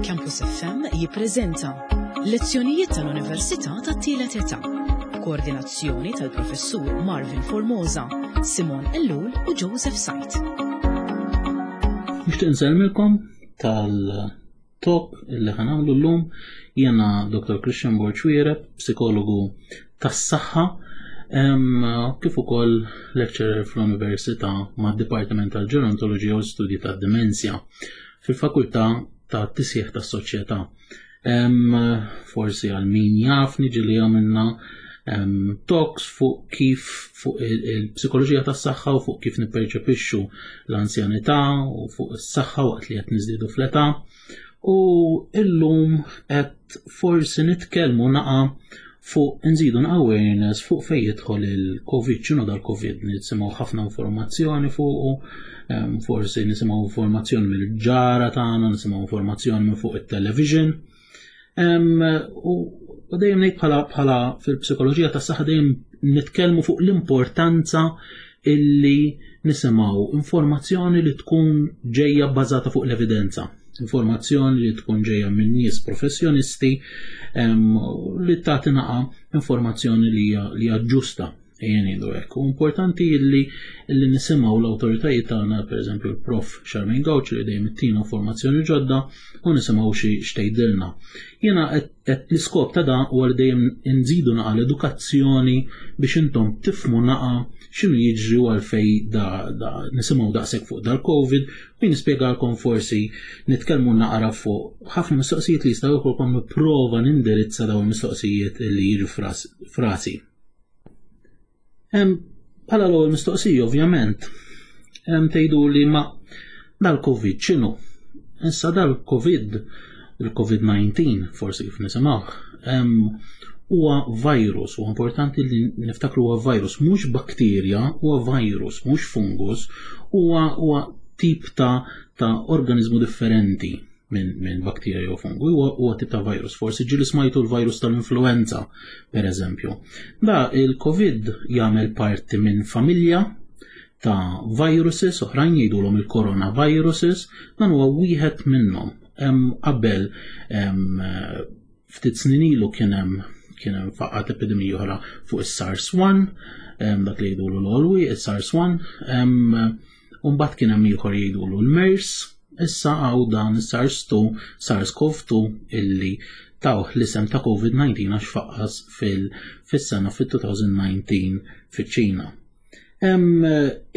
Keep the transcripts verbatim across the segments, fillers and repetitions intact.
Campus F M jippreżenta Lezzjonijiet tal-Università tat-Tielet Età. Koordinazzjoni tal-Professur Marvin Formosa, Simon Ellul u Joseph Sajt. Nixtieq nsellmilkom tal-talk illi ħa nagħmlu llum. Jiena Doktor Christian Borg Xuereb, psikologu tas-saħħa, kif ukoll lecturer fl-Università mad-Dipartiment tal-Ġerontoloġija u Studji tad-Dimensja fil-Fakultà ta' Tisjeħ tas-Soċjetà. Forsi għal min jafni ġieli għamilna talks fuq kif fuq il-psikoloġija tas-saħħa u fuq kif nipperċepixxu l-anzjanità u fuq is-saħħa waqt li qed niżdiedu fl-età. U illum qed forsi nitkellmu naqa fuq nżidu awareness fuq fejn jidħol il-Covid, x'inhu dal-Covid, nisimgħu ħafna informazzjoni fuqu, forsi nisimgħu informazzjoni mill-ġara tagħna, nisimgħu informazzjoni minn fuq it-television. U dejjem ngħid bħala bħala fil-psikoloġija tas-saħħa dejjem nitkellmu fuq l-importanza illi nisimgħu informazzjoni li tkun ġejja bbażata fuq l-evidenza, informazzjoni li tkun ġejja minn nies professjonisti li tagħti naqa informazzjoni li hija ġusta, ejja ngħidu hekk. U importanti li li nisimgħu l-awtoritajiet tagħna, pereżempju l-Prof Charmaine Gauci li dejjem ittina informazzjoni ġodda u nisimgħu xi x'tgħidilna. Jiena qed l-iskop ta' dan huwa li dejjem nżidu naqa l-edukazzjoni biex intom tifhmu naqa x'inhu jiġri u għalfej da, da nisimgħu daqshekk fuq dal-Covid u nispjegalkom, forsi nitkellmu naqra fuq ħafna mistoqsijiet li jistgħu jkollkom, nipprova nindirizza dawn il-mistoqsijiet li jiġu frasi. Bħala l-ewwel mistoqsija, ovvjament, tgħidu li ma dal-Covid x'inhu? Issa dal-Covid, il-COVID disa forsi kif nisimgħu, huwa virus, u importanti li niftakru huwa virus, mhux bakterja, huwa virus, mhux fungus, huwa huwa tip ta' ta' organizmu differenti minn min bakterja u fungu, huwa huwa tip ta' virus. Forsi ġieli smajtu l-virus tal-influenza, per eżempju. Da il-Covid jagħmel parti minn familja ta' viruses oħrajn jgħidulhom il-coronaviruses, dan huwa wieħed minnhom. Hemm qabel, ftit snin ilu, kien hemm kien hemm faqqat epidemija oħra fuq is-SARS one, dak li jgħidulu l-olwi, is-SARS one, u mbagħad kien hemm ieħor jgħidulu l-MERS, issa hawn dan is-SARS two, SARS-CoV two illi tawh l-isem ta' COVID disa għax faqqas fil-sena fil-elfejn u dsatax fiċ-Ċina.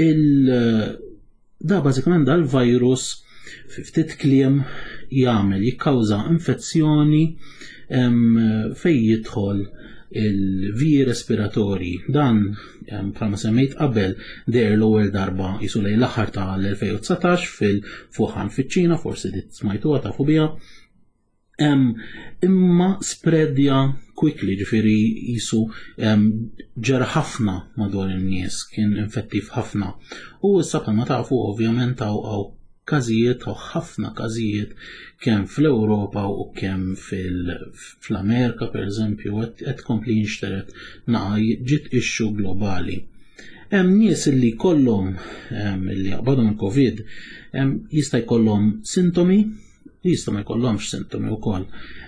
Il da bażikament dal-virus fi ftit kliem jagħmel jikkawża infezzjoni fejn jidħol il-viji respiratorji. Dan, bħalma semmejt qabel, deher l-ewwel darba jisu lejn l-aħħar tal-elfejn u dsatax fil-Wuhan fiċ-Ċina, forsi dit smajtuha, tafu biha. Imma spreadja quickly, ġifieri jisu ġera ħafna madwar in-nies, kien infettiv ħafna. U issa bħalma tafu ovvjament hawn każijiet u ħafna każijiet kemm fl-Ewropa u kemm fl-Amerika, per eżempju, qed kompli jinxteret naqa, ġiet issue globali. Hemm nies li kollhom li jaqbadhom il-Covid, jista' jkollhom sintomi, jista' ma jkollhomx sintomi wkoll.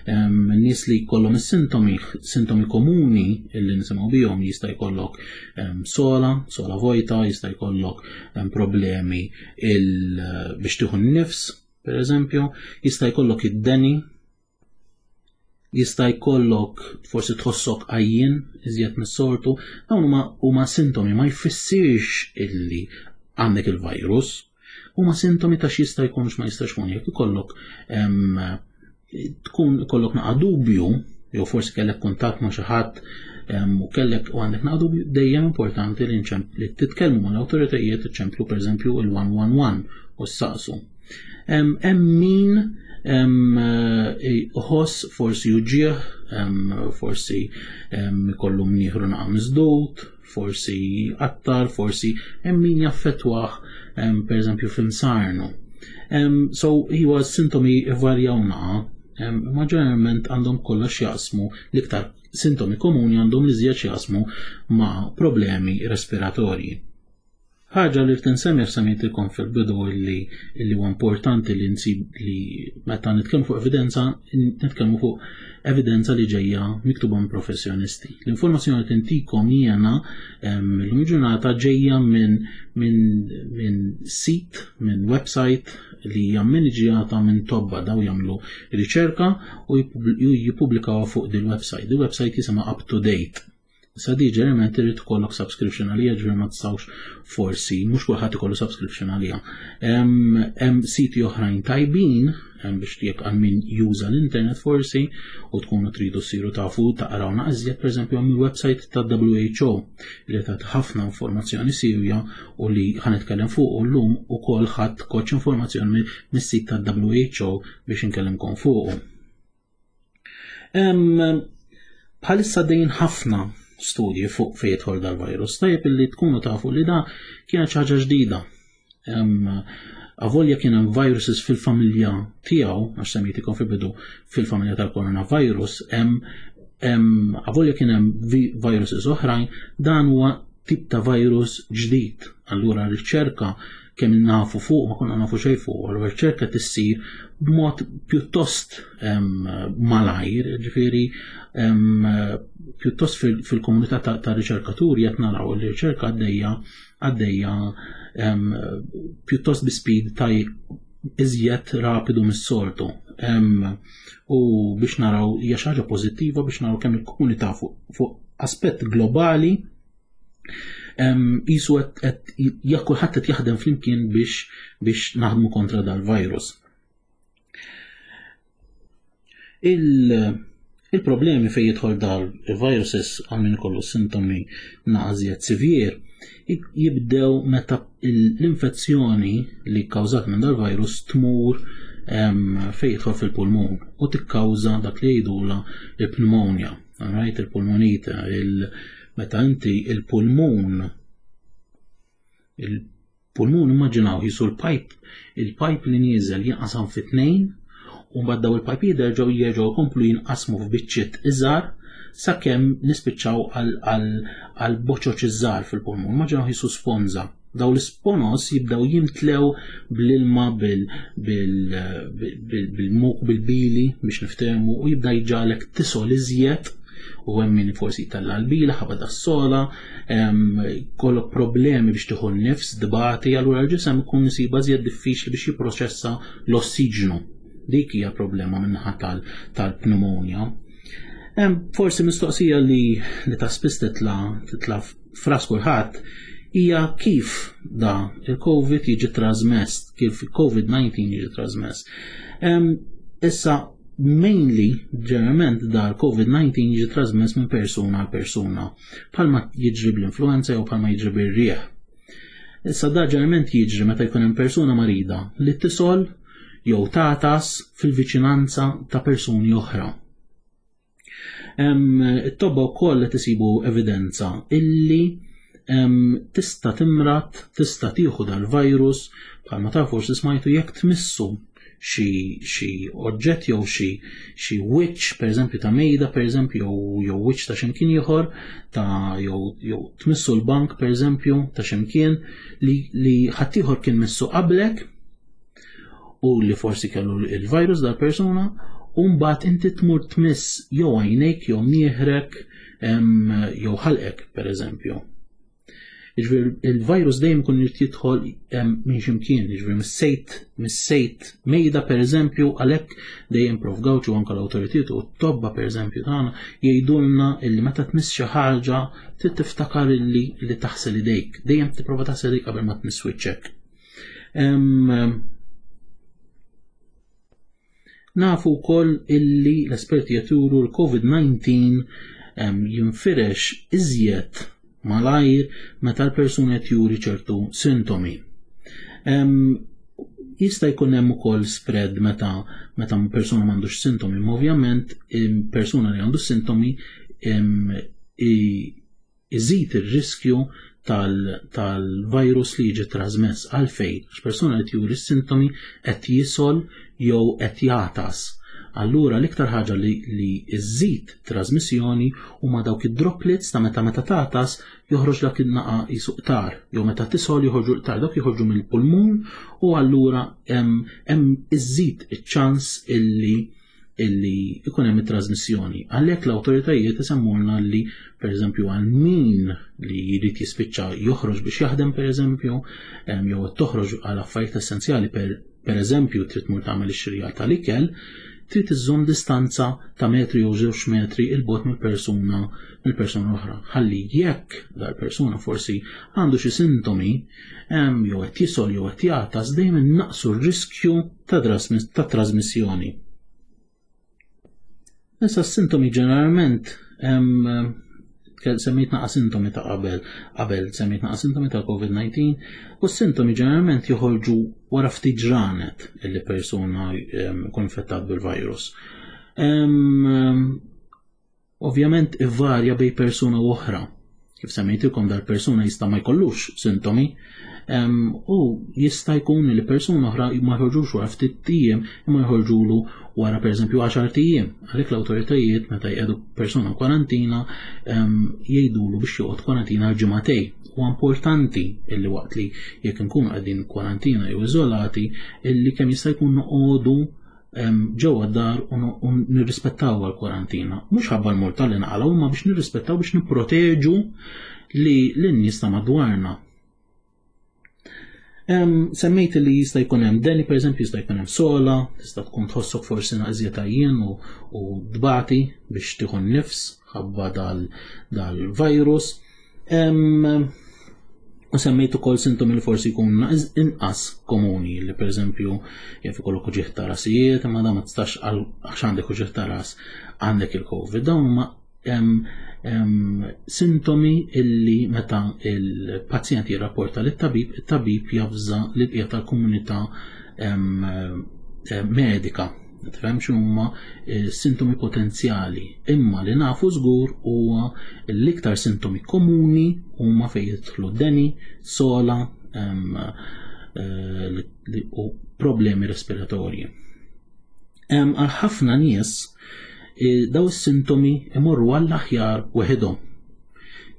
Nies li jkollhom is-sintomi, sintomi komuni illi nisimgħu bihom, jista' jkollok sogħla, sogħla vojta, jista' jkollok problemi biex tieħu n-nifs, per eżempju, jista' jkollok id-deni, jista' jkollok forsi tħossok għajjien iżjed mis-soltu, dawn huma huma sintomi, ma jfissirx illi għandek il-virus, huma sintomi ta' x'jista' jkun, x'ma jistax jkun. Jekk ikollok tkun ikollok naqa dubju jew forsi kellek kuntatt ma' xi ħadd u kellek u għandek naqa dubju, dejjem importanti li li titkellmu mal-awtoritajiet, iċċemplu pereżempju il-one one one u ssaqsu. Hemm min iħoss forsi uġigħ, forsi ikollu mnieħru naqa misdud, forsi qattar, forsi hemm min jaffettwah pereżempju f'imsarnu. So huwa sintomi varjaw naqa, ma ġeneralment għandhom kollox jaqsmu, l-iktar sintomi komuni għandhom li żjed jaqsmu ma' problemi respiratorji. Ħaġa li rrid semmejtilkom fil-bidu li li huwa importanti li nsib li meta nitkellmu fuq evidenza, nitkellmu fuq evidenza li ġejja miktuba minn professjonisti. L-informazzjoni li tintikom jiena l-lum ġurnata ġejja minn min, min sit, minn website li hija maniġjata minn tobba. Daw jagħmlu riċerka u jippubblikaw fuq dil-website. Dil-website jisimha Up to Date. Issa di ġeneralment irid ikollok subscription għalija, ġifieri ma tistgħux forsi, mhux kulħadd ikollu subscription għalija. Hemm siti oħrajn tajbin biex jekk għal min juża l-internet forsi u tkunu tridu ssiru tafu taqraw naqżjed, pereżempju hemm il-website ta' W H O li tagħti ħafna informazzjoni sirja u li ħa nitkellem fuq llum ukoll. Ħadt koċ informazzjoni mis-sit ta' W H O biex inkellimkom fuq. Bħalissa dejn ħafna studji fuq fejn jidħol dal-virus. Tajjeb illi tkunu tafu li da kienet ħaġa ġdida. Avolja kien hemm viruses fil-familja tiegħu, għax semmejtikom fil-bidu fil-familja tal-coronavirus, hemm avolja kien hemm viruses oħrajn, dan huwa tip ta' virus ġdid. Allura r-riċerka kemm nafu fuq, ma konna nafu xejn fuq, allura r-riċerka tissir b'mod pjuttost malajr, ġifieri pjuttost fil-komunità ta' riċerkaturi qed naraw li riċerka għaddejja għaddejja pjuttost bi speed ta' iżjed rapidu mis-soltu. U biex naraw hija xi ħaġa pożittiva biex naraw kemm il-komunità fuq aspett globali jisu qed jekk kulħadd qed jaħdem flimkien biex biex naħdmu kontra dal-virus. Il-problemi fejn jidħol dal-viruses għal min ikollu sintomi naqażiet severe jibdew meta l-infezzjoni li kkawżat minn dal-virus tmur fejn jidħol fil-pulmun u tikkawża dak li jgħidula il-pneumonia, right? Il-pulmonite, il meta inti il-pulmun il-pulmun immaġinaw jisu l-pipe, il-pipe li nieżel jinqasam fi tnejn u mbagħad daw il-pipe jerġgħu jerġgħu jkomplu jinqasmu f'biċċiet iżgħar sakemm nispiċċaw għal boċoċ iżgħar fil-pulmun. Immaġinaw jisu sponża. Daw l-isponos jibdew jimtlew bl-ilma, bil-muk, bil-bili biex niftehmu, u jibda jġalek tisol iżjed u hemm min forsi tella l-bila ħabba das-sola, kollok problemi biex tieħu n-nifs, dibati, allura l-ġisem ikun isiba iżjed diffiċli biex jipproċessa l-ossiġnu. Dik hija problema minnaħa tal-pneumonia. Forsi mistoqsija li li ta' spiss titla titla fras kulħadd hija kif da il-COVID jiġi trasmess, kif il-COVID disa jiġi trasmess. Issa, mainly, ġeneralment da l-COVID disa jiġi trasmess minn persuna għal persuna, bħalma jiġri bl-influenza jew bħalma jiġri bir-rieħ. Issa da ġeneralment jiġri meta jkun hemm persuna marida li tisol jew tatas fil-viċinanza ta' persuni oħra. It-tobba wkoll qed isibu evidenza illi tista' timrat, tista' tieħu dal-virus, bħalma ta' forsi smajtu, jekk tmissu xi xi oġġett jew xi xi wiċċ, pereżempju ta' mejda pereżempju jew jew wiċċ ta' x'imkien ieħor ta' jew jew tmissu l-bank pereżempju ta' x'imkien li li ħaddieħor kien missu qablek u li forsi kellu il-virus dal-persuna, u mbagħad inti tmur tmiss jew għajnejk jew nieħrek jew ħalqek pereżempju. Jiġifieri il-virus dejjem ikun irid jidħol minn ximkien, jiġifieri mis-sejt, mis-sejt mejda pereżempju, għalhekk dejjem Prof Gauci u anke l-awtoritajiet u t-tobba pereżempju tagħna jgħidulna illi meta tmiss xi ħaġa trid tiftakar illi li taħsel idejk, dejjem tipprova taħsel idejk qabel ma tmiss wiċċek. Nafu wkoll illi l-esperti jaturu l-COVID disa jinfirex iżjed malajr meta l-persuna qed juri ċertu sintomi. Jista' jkun hemm ukoll spread meta meta persuna m'għandux sintomi, imma ovvjament persuna li għandu sintomi iżid ir-riskju tal-virus li jiġi trasmess. Għalfejn? Għax persuna li juri sintomi qed jisol jew qed jagħtas. Allura l-iktar ħaġa li, li iżżid trasmissjoni huma dawk id-droplets ta' meta meta tagħtas joħroġ dak in-naqa jisu qtar, jew meta tisgħol joħorġu l-qtar, dawk joħorġu mill-pulmun u allura hemm iżżid iċ-ċans illi illi ikun hemm it-trasmissjoni. Għalhekk l-awtoritajiet isemmulna li pereżempju għal min li jrid jispiċċa joħroġ biex jaħdem pereżempju, jew toħroġ għal affarijiet essenzjali per pereżempju trid tmur tagħmel ix-xirja tal-ikel, trid iżżomm distanza ta' metri jew żewġ metri 'il bogħod mill-persuna mill-persuna oħra. Ħalli jekk dal-persuna forsi għandu xi sintomi jew qed jisgħol jew qed jagħtas, dejjem innaqsu r-riskju ta' trasmissjoni. Issa s-sintomi ġeneralment semmejt naqa sintomi ta' qabel, qabel semmejt naqa sintomi ta' COVID nineteen, u s-sintomi ġeneralment joħorġu wara ftit ġranet illi persuna jkun infettat bil-virus. Ovvjament ivarja bej persuna u oħra. Kif semmejtilkom dal-persuna jista' ma jkollux sintomi, u jista' jkun li persuna oħra ma jħorġux wara ftit tiem imma jħorġulu wara pereżempju għaxar tiem. Għalhekk l-awtoritajiet meta jqiegħdu persuna kwarantina jgħidulu biex joqgħod kwarantina għal ġimagħtej. Huwa importanti illi waqt li jekk inkunu qegħdin kwarantina jew iżolati illi kemm jista' jkun noqogħdu ġewwa d-dar u nirrispettaw għall-kwarantina. Mhux ħabba l-multa li naqalgħu, imma biex nirrispettaw biex nipproteġu li lin-nies ta' madwarna. Semmejt li jista' jkun hemm deni, pereżempju jista' jkun hemm sola, tista' tkun tħossok forsi naqżiet għajjien u, u dbati biex tieħu nnifs ħabba dal-virus. U semmejt ukoll sintomi li forsi jkunu inqas komuni, li pereżempju jaf ikollok uġigħ ta' rasijiet, imma dan ma tistax għax għandek uġigħ ta' ras għandek il-COVID. Dawn huma sintomi illi meta il-pazjent jirrapporta lit-tabib, it-tabib javża lill-bqija tal-komunità medika. Tifhem x'huma sintomi potenzjali, imma li nafu żgur huwa l-iktar sintomi komuni huma fejn jidħlu deni, sola u problemi respiratorji. Għal ħafna nies daw is-sintomi imorru għall-aħjar weħidhom,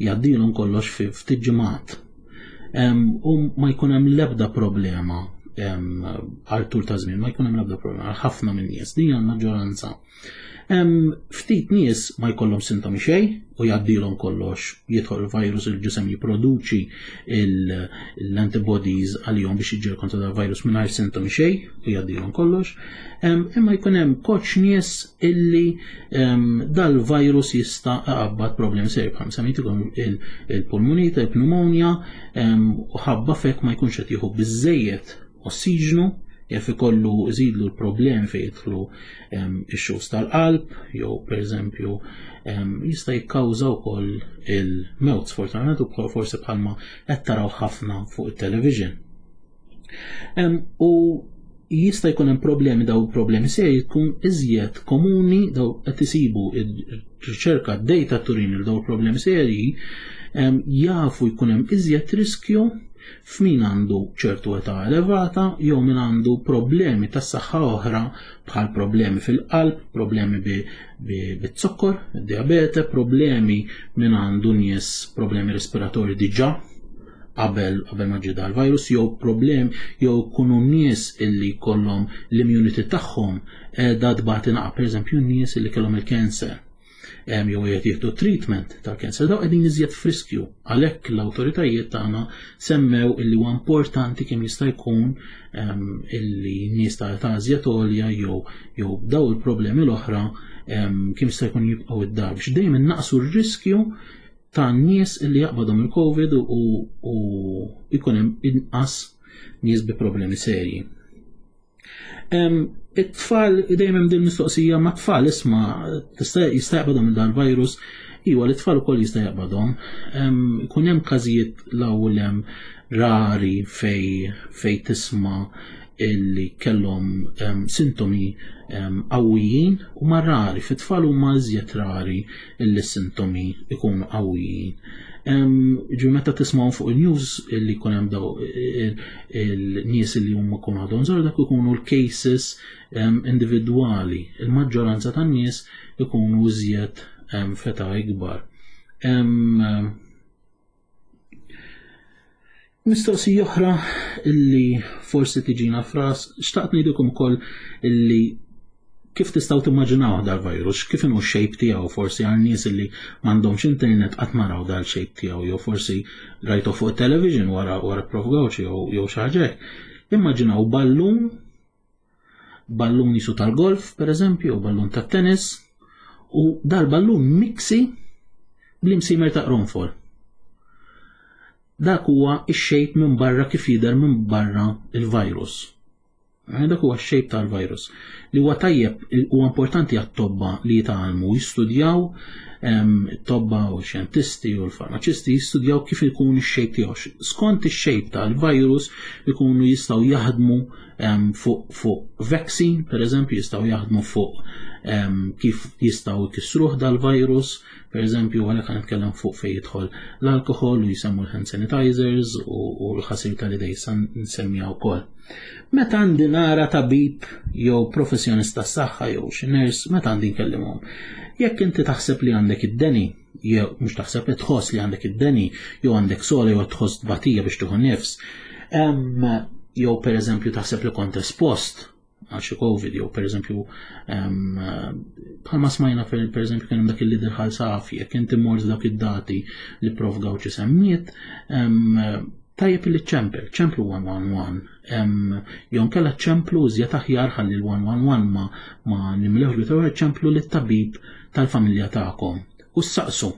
jgħaddilhom kollox fi ftit ġimgħat u ma jkun hemm l-ebda problema għal tul ta' żmien, ma jkun hemm l-ebda problema għal ħafna minn nies, din hija l-maġġoranza. Ftit nies ma jkollhom sintomi xejn u jgħaddilhom kollox, jidħol il-virus, il-ġisem jipproduċi l-antibodies għalihom biex jiġġieled kontra dal-virus mingħajr sintomi xejn u jgħaddilhom kollox. Imma jkun hemm koċ nies illi dal-virus jista' iqabbad problemi serji bħal semmejtilkom il-pulmonite, il-pneumonia, u ħabba fek ma jkunx qed jieħu biżżejjed ossiġnu, jaf ikollu iżidlu l-problemi fejn jidħlu ix-xus tal-qalb, jew pereżempju jista' jikkawża wkoll il-mewt, sfortunatament ukoll forsi bħalma qed taraw ħafna fuq it-television. U jista' jkun hemm problemi, daw problemi serji jkun iżjed komuni, daw qed isibu r-riċerka d-data turin li daw problemi serji jafu jkun hemm iżjed riskju f'min għandu ċertu età elevata jew min għandu problemi tas-saħħa oħra bħal problemi fil-qalb, problemi bit-zokkor, diabete, problemi min għandu nies problemi respiratorji diġà qabel qabel ma ġie dal-virus, jew problemi jew kunu nies illi jkollhom l-immunity tagħhom qiegħda tbati naqa', pereżempju nies illi kellhom il-cancer jew qed jieħdu treatment tal-cancer, daw qegħdin iżjed f'riskju. Għalhekk l-awtoritajiet tagħna semmew illi huwa importanti kemm jista' jkun illi nies ta' età iżjed għolja jew jew daw il-problemi l-oħra kemm jista' jkun jibqgħu id-dar biex dejjem innaqsu r-riskju ta' nies illi jaqbadhom il-COVID u jkun hemm inqas nies bi problemi serji. It-tfal, dejjem hemm din mistoqsija ma' tfal, isma' jista' jaqbadhom dal-virus, iwa l-tfal ukoll jista' jaqbadhom. Ikun hemm każijiet l-ewwel hemm rari fej fej tisma' illi kellhom sintomi qawwijin, u ma rari, fit-tfal huma iżjed rari illi sintomi ikunu qawwijin. Ġu meta tismgħu fuq il-news li jkun hemm daw il-nies li huma jkunu għadhom żgħar, dak ikunu l-cases individwali. Il-maġġoranza tan-nies ikunu iżjed f'età ikbar. Mistoqsija oħra illi forsi tiġina fras, xtaqt ngħidilkom ukoll illi kif tistgħu timmaġinaw dal-virus, kif inhu x-shape tiegħu, forsi għal nies illi m'għandhomx internet qatt ma raw dal-shape tiegħu, jew forsi rajtu fuq television wara wara Prof Gauci jew xi ħaġa hekk. Immaġinaw ballun, ballun jisu tal-golf pereżempju, jew ballun tat-tennis, u dal-ballun miksi bl-imsimer ta' qronfol. Dak huwa x-shape minn barra kif jidher minn barra il-virus. Dak huwa x-shape tal-virus. Li huwa tajjeb, huwa importanti għat-tobba li jitgħallmu jistudjaw, it-tobba u x-xjentisti u l-farmaċisti jistudjaw kif ikun ix-shape tiegħu. Skont ix-shape tal-virus ikunu jistgħu jaħdmu fuq fuq vaccine, per eżempju, jistgħu jaħdmu fuq kif jistgħu jkissruh dal-virus, per eżempju, għalhekk qed nitkellem fuq fejn jidħol l-alkohol u jsemmu l-hand sanitizers u l-ħasil tal-idej nsemmiha wkoll. Meta għandi nara tabib jew professjonist tas-saħħa jew xi nurse, meta għandi nkellimhom? Jekk inti taħseb li għandek id-deni, jew mhux taħseb li tħoss li għandek id-deni, jew għandek sola jew tħoss tbatija biex tieħu nifs, jew per eżempju taħseb li kont espost għal xi COVID, jew per eżempju bħalma smajna per eżempju kien hemm dak il-lider ħal safi, jekk inti mort dak id-dati li Prof Gauci semmiet, tajjeb li ċempel, ċemplu one one one, jew nkella ċemplu iżjed aħjar ħalli l-one one one ma, ma nimlewx li tewħed, ċemplu lit-tabib tal-familja tagħkom u saqsu.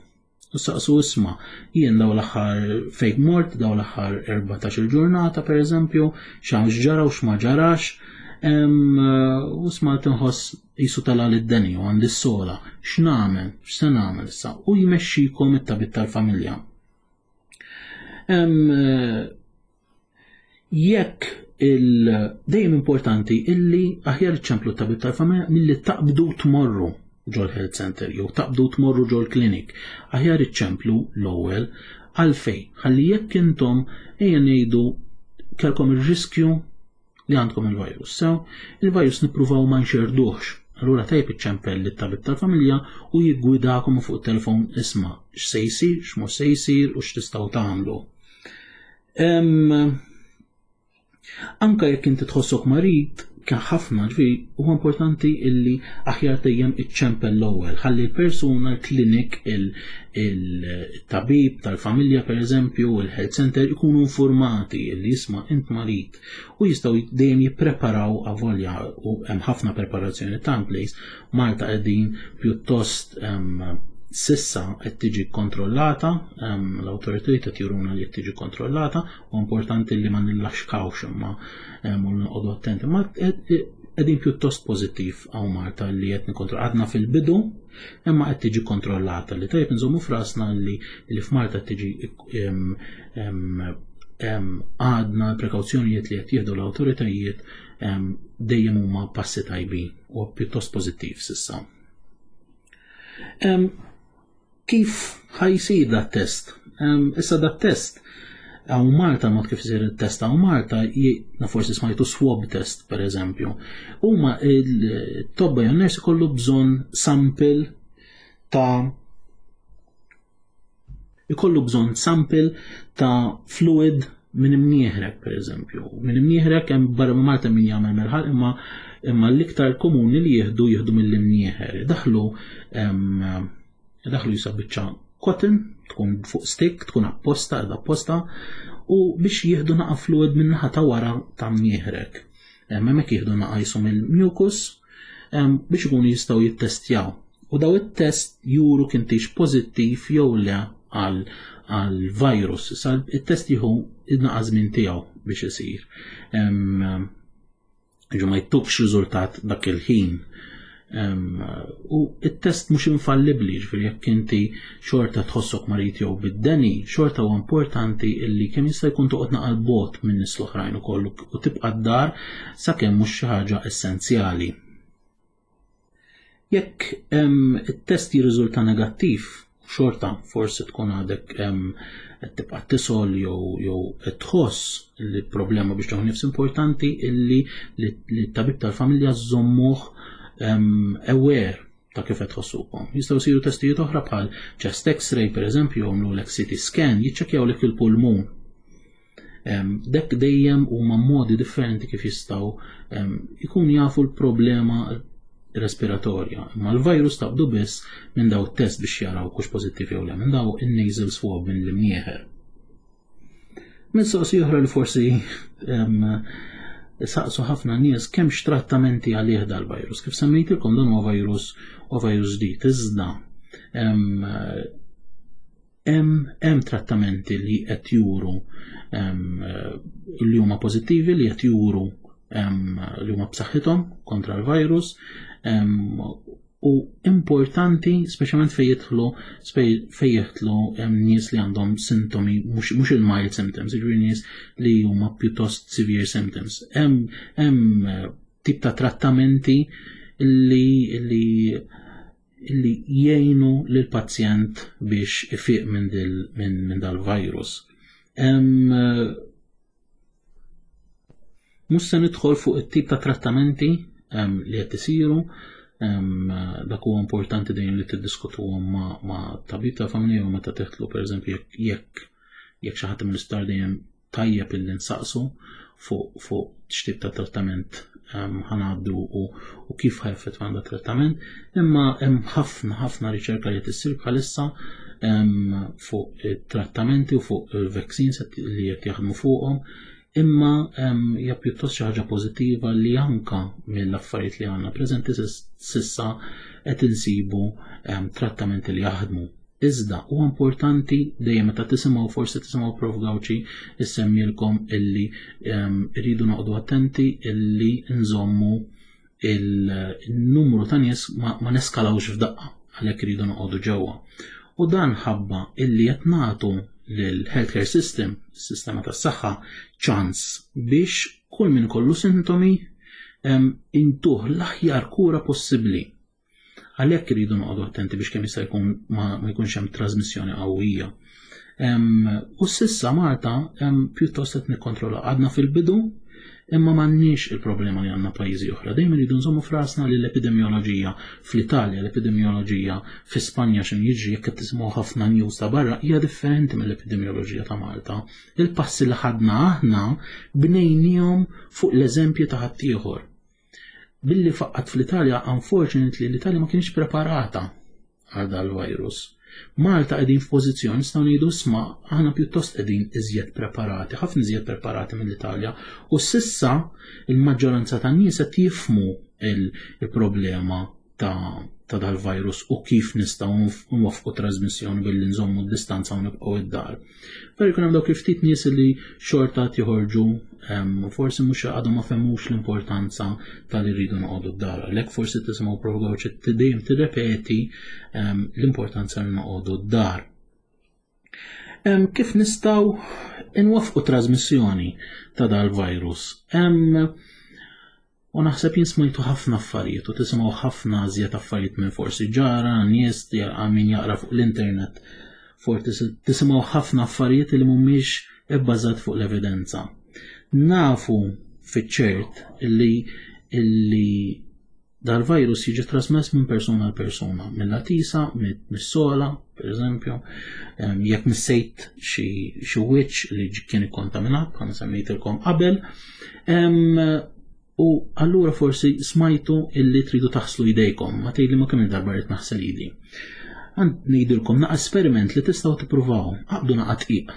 U saqsu isma', jien daw l-aħħar fejn mort, daw l-aħħar erbatax-il ġurnata per eżempju, x'hawn x'ġara u x'ma ġarax, u sma' tinħoss jisu tala lid-deni u għandi s-sola, x'nagħmel, x'se nagħmel issa, u jmexxikom it-tabib tal-familja. Jekk il dejjem importanti illi aħjar iċċemplu t-tabib tal-familja milli taqbdu tmorru ġol health center jew taqbdu tmorru ġol clinic. Aħjar iċċemplu l-ewwel għalfej, ħalli jekk intom ejja ngħidu kellkom ir-riskju li għandkom il-virus. Sew, il-virus nippruvaw ma nxerduhx. Allura tajjeb iċċempel lit-tabib tal-familja u jiggwidakom fuq it-telefon isma' x'se jsir, x'mhux se jsir u x'tistgħu tagħmlu. Anka jekk inti tħossok marid, kien ħafna, ġifieri huwa importanti illi aħjar dejjem iċċempel l-ewwel, ħalli l-persuna, l-klinik, il-tabib tal-familja pereżempju, il-health center ikunu informati illi jisma' int marid u jistgħu dejjem jippreparaw avolja u hemm ħafna preparazzjoni ta' place. Malta qegħdin pjuttost sissa qed tiġi kontrollata, l-awtoritajiet qed juruna li qed tiġi kontrollata, u importanti li ma nillaxkawx imma u noqogħdu attenti. Ma qegħdin pjuttost pożittiv hawn Malta li qed nikkontroll, għadna fil-bidu imma qed tiġi kontrollata, li tajjeb nżommu f'rasna li, li f'Malta qed tiġi għadna l-prekawzjonijiet li qed jieħdu l-awtoritajiet dejjem huma passi tajbin u pjuttost pożittiv sissa. Kif ħajsir dat test? Issa dat test hawn Malta, mod kif isir it-test hawn Malta, na forsi smajtu swab test per eżempju. Huma il-tobba jew nurse ikollu bżonn sample ta' ikollu bżonn sample ta' fluid minn imnieħrek per eżempju. Minn imnieħrek hemm barra minn Malta min jagħmel mill-ħalq, imma, imma l-iktar komuni li jieħdu jieħdu mill-imnieħer. Daħlu, daħlu jisa biċċa cotton, tkun fuq stick, tkun apposta, qiegħda apposta, u biex jieħdu naqa' fluid minn naħa ta' wara ta' mnieħrek. Hemmhekk jieħdu naqa' jisom il-mucus biex ikunu jistgħu jittestjaw. U daw it-test juru kintix pożittiv jew le għal, għal virus. Issa it-test jieħu naqa' żmien tiegħu biex isir. Ġu ma jittukx riżultat dak il-ħin. U it-test mhux infallibbli, ġifieri jekk inti xorta tħossok marid jew bid-deni, xorta huwa importanti illi kemm jista' jkun toqgħod naqal bot minn nies l-oħrajn ukoll u tibqa' d-dar sakemm mhux xi ħaġa essenzjali. Jekk it-test jirriżulta negattiv Xorta forsi tkun għadek qed tibqa' tisgħol jew jew qed tħoss li problema biex tieħu nifs, importanti illi li t-tabib tal-familja żommuh aware ta' kif qed tħossukom. Jistgħu jsiru testijiet oħra bħal chest X-ray, pereżempju, jagħmlulek C T scan, jiċċekkjawlek il-pulmun. Dak dejjem huma modi differenti kif jistgħu ikun jafu l-problema respiratorja. Imma l-virus taqbdu biss minn daw test biex jaraw hux pożittiv jew le, minn daw in-nasal swab, minn l-imnieħer. Mistoqsija oħra li forsi saqsu ħafna nies, kemm trattamenti għalih dal-virus. Kif semmejtilkom, dan huwa virus u virus ġdid, iżda hemm trattamenti li qed juru li huma pożittivi, li qed juru li huma b'saħħithom kontra l-virus u importanti speċjalment fejn jidħlu fejn jidħlu nies li għandhom sintomi mhux il-mild symptoms, jiġifieri nies li huma pjuttost severe symptoms. Hemm tip ta' trattamenti li li li jgħinu lil pazjent biex ifiq minn min, dal-virus. Mhux se nidħol fuq it-tip ta' trattamenti li qed isiru, dak huwa importanti dejjem li tiddiskutuhom ma', ma' tabib ta' familja u meta teħtlu, pereżempju, jekk jekk jekk xi ħadd mill-isptar, dejjem tajjeb illi nsaqsu fuq fuq x'tip ta' trattament ħa ngħaddu u, u kif ħa jeffettwa għandha trattament, imma hemm ħafna ħafna riċerka li tissir bħalissa fuq it-trattamenti u fuq il-vaccines li qed jaħdmu fuqhom, imma hija pjuttost xi ħaġa pożittiva li anka mill-affarijiet li għandna preżenti s'issa qed insibu trattamenti li jaħdmu. Iżda huwa importanti dejjem meta tisimgħu, forsi tisimgħu Prof Gauci issemmilkom, illi rridu noqogħdu attenti illi nżommu il-numru ta' nies, ma, ma neskalawx f'daqqa, għalhekk iridu noqogħdu ġewwa. U dan ħabba illi qed nagħtu lill-healthcare system, sistema tas-saħħa, ċans biex kull min kollu sintomi intuh l-aħjar kura possibbli. Għalhekk iridu noqogħdu attenti biex kemm jista' jkun ma, ma jkunx hemm trasmissjoni qawwija. U s'issa Malta pjuttost qed nikkontrolla, għadna fil-bidu, imma m'għandniex il-problema li għandna pajjiżi oħra. Dejjem iridu nżommu f'rasna li l-epidemioloġija fl-Italja, l-epidemioloġija fi Spanja, x'in jiġri jekk qed tisimgħu ħafna news ta' barra, hija differenti mill-epidemioloġija ta' Malta. Il-passi li ħadna aħna bnejnihom fuq l-eżempju ta' ħaddieħor. Billi faqqat fl-Italja, unfortunately, l-Italja ma kienx preparata għal dal-virus. Malta qegħdin f'pożizzjoni nistgħu ngħidu, isma', aħna pjuttost qegħdin iżjed preparati, ħafna iżjed preparati mill-Italja, u s'issa il-maġġoranza tan-nies qed jifhmu il-problema ta' ta' dal-virus u kif nistgħu nwaffqu trasmissjoni billi nżommu d-distanza u nibqgħu id-dar. Però jkun hemm dawk il-ftit nies li xorta joħorġu, forsi mhux għadhom ma fehmux l-importanza tal irridu noqogħdu d-dar. Għalhekk forsi tisimgħu Prof Gauci dejjem tirrepeti l-importanza li noqogħdu d-dar. Kif nistgħu nwaffqu trasmissjoni ta' dal-virus? U naħseb jien smajtu ħafna affarijiet u tisimgħu ħafna iżjed affarijiet minn forsi ġara, nies min jaqra fuq l-internet. Forsi tisimgħu ħafna affarijiet li mhumiex ibbażat fuq l-evidenza. Nafu fiċ-ċert illi illi dal-virus jiġi trasmess minn persuna għal persuna, mill-għatisa, mis-sogħla, per eżempju, jekk missejt xi wiċċ li kien ikkontaminat, bħalma semmejtilkom qabel. U allura forsi smajtu illi tridu taħslu idejkom, ma tgħidli ma kemm darba rrid naħsel idi. Għand ngħidilkom naqa esperiment li tistgħu tippruvaw, aqbdu naqa dqiq,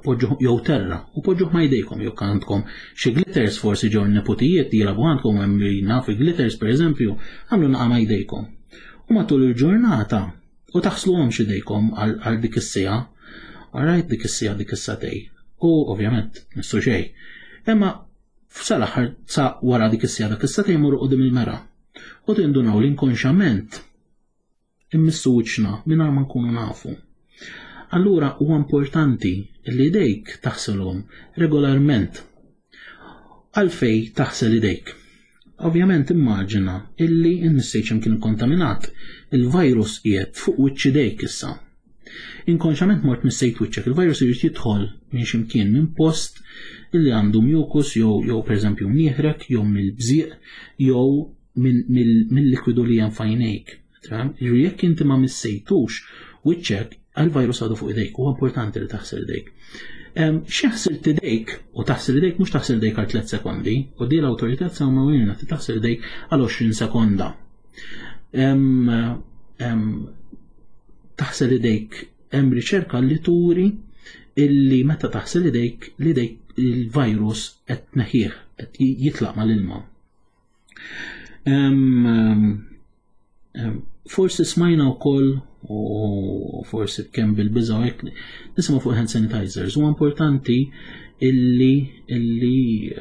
poġġu jew terra u poġġuh ma jdejkom, jew għandkom xi glitters, forsi ġew neputijiet jilagħbu għandkom, hemm naf glitters pereżempju, għamlu naqa ma jdejkom. U matul il-ġurnata u taħsluhomx idejkom għal dik is-siegħa, alright, dik is-siegħa, dik is-sagħtejn. U ovvjament missu xejn. Imma sal-aħħar, sa wara dik is-siegħa, dak is-sagħtejn, jmorru quddiem il-mera. U tindunaw li inkonxament immissu wiċċna mingħajr ma nkunu nafu. Allura huwa importanti li idejk taħselhom regolarment. Għalfej taħsel idejk? Ovvjament immaġina illi n-missejċem kien kontaminat. Il-virus qiegħed fuq wiċċ idejk issa. Inkonxament mort missejt wiċċek, il-virus irid jidħol minn x'imkien, minn post illi għandu mucus jew jew pereżempju mnieħrek, jew mill-bżieq, jew mill-likwidu li hemm f'għajnejk. Jiġifieri jekk inti ma missejtux wiċċek, għal-virus għadu fuq idejk, huwa importanti li taħsel idejk. Xi ħsilt idejk, u taħsel idejk mhux taħsel idejk għal tliet sekondi, u di l-awtorità semmewilna li taħsel idejk għal għoxrin sekonda. Taħsel idejk, hemm riċerka li turi illi meta taħsel idejk, l-idejk il-virus qed tneħħih, qed jitlaq mal-ilma. Forsi smajna wkoll, u forsi kemm bil-biża' hekk, nisimgħu fuq hand sanitizers. Huwa importanti illi illi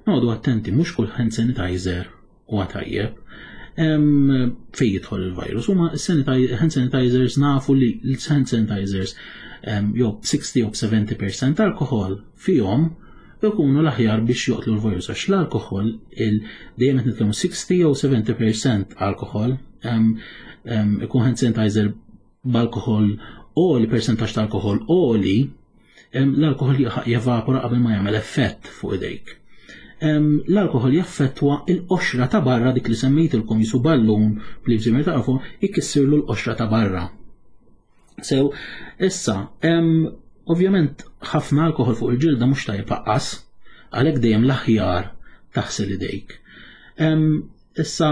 noqogħdu attenti, mhux kull hand sanitizer huwa tajjeb fejn jidħol il-virus. Huma hand sanitizers, nafu li l-hand sanitizers jew sixty jew seventy percent alkohol fihom ikunu l-aħjar biex joqtlu l-virus, għax l-alkohol dejjem qed nitkellmu sixty jew seventy percent alkohol, ikun hand sanitizer b'alkohol għoli, percentaġġ ta' alkohol għoli, l-alkohol jevapora qabel ma jagħmel effett fuq idejk. L-alkohol jaffettwa il-qoxra ta' barra, dik li semmejtilkom jisu ballun li bżimir tafu, jkissirlu l-qoxra ta' barra. Sew, issa, ovvjament ħafna alkohol fuq il-ġilda mhux tajjeb aqqas, għalhekk dejjem l-aħjar taħsel idejk. Issa,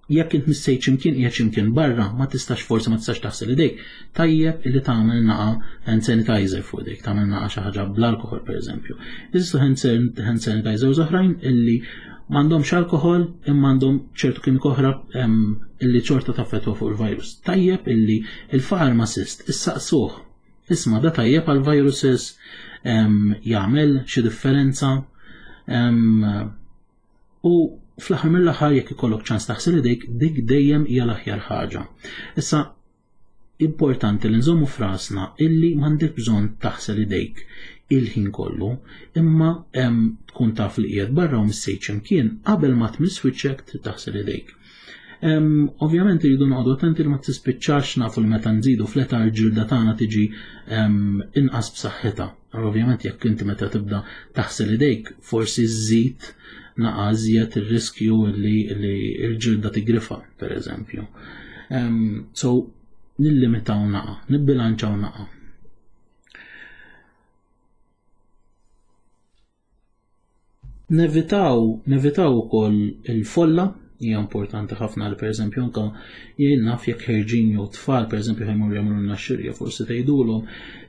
jekk int missejt x'imkien, qiegħed x'imkien barra, ma tistax, forsi ma tistax taħsel idejk, tajjeb illi tagħmel naqa hand sanitizer fuq idejk, tagħmel naqa xi ħaġa bl-alkohol pereżempju. Jeżistu hand sanitizers oħrajn illi m'għandhomx alkohol imma għandhom ċertu kimika oħra illi ċorta taffettwa fuq il-virus. Tajjeb illi il-pharmacist issaqsuh, isma' da tajjeb għal viruses, jagħmel xi differenza, u fl-aħħar mill-aħħar jekk ikollok ċans taħsel idejk, dik dejjem hija l-aħjar ħaġa. Issa importanti li nżommu f'rasna illi m'għandek bżonn taħsel idejk il-ħin kollu, imma tkun taf li qiegħed barra u missejt x'imkien, qabel ma tmiss wiċċek trid taħsel idejk. Ovvjament irridu noqogħdu attenti li ma tispiċċax, nafu li meta nżidu fl-età l-ġilda tagħna tiġi inqas b'saħħitha. Ovvjament jekk inti meta tibda taħsel idejk forsi żżid naqa' iżjed ir-riskju li l-ġilda tigrifa, per eżempju. So nillimitaw naqa', nibbilanċaw naqa'. Nevitaw, nevitaw ukoll il-folla, hija importanti ħafna li pereżempju anke jien naf jekk ħerġin jew tfal pereżempju ħajmur jagħmlu lna xirja, forsi tgħidulhom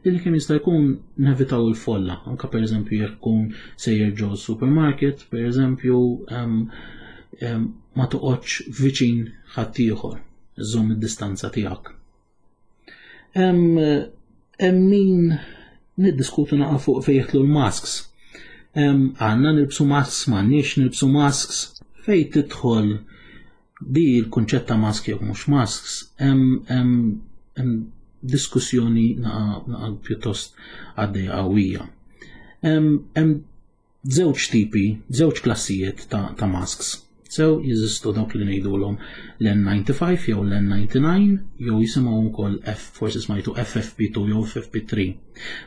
li kemm jista' jkun nevitaw il-folla, anke pereżempju jekk tkun sejjer ġo supermarket, pereżempju, ma toqgħodx viċin ħaddieħor, żomm id-distanza tiegħek. Hemm min niddiskutu naqa' fuq fejn jidħlu l-masks. Għandna nilbsu masks, m'għandniex nilbsu masks. Fejn tidħol di l-kunċett ta' mask jew mhux masks, hemm diskussjoni naqa, naqa pjuttost għaddejja qawwija. Hemm żewġ tipi, żewġ klassijiet ta', ta' masks. Sew jeżistu dawk li ngħidulhom l-N ninety-five jew l-N ninety-nine, jew jisimgħu wkoll F, forsi smajtu F F P two jew F F P three.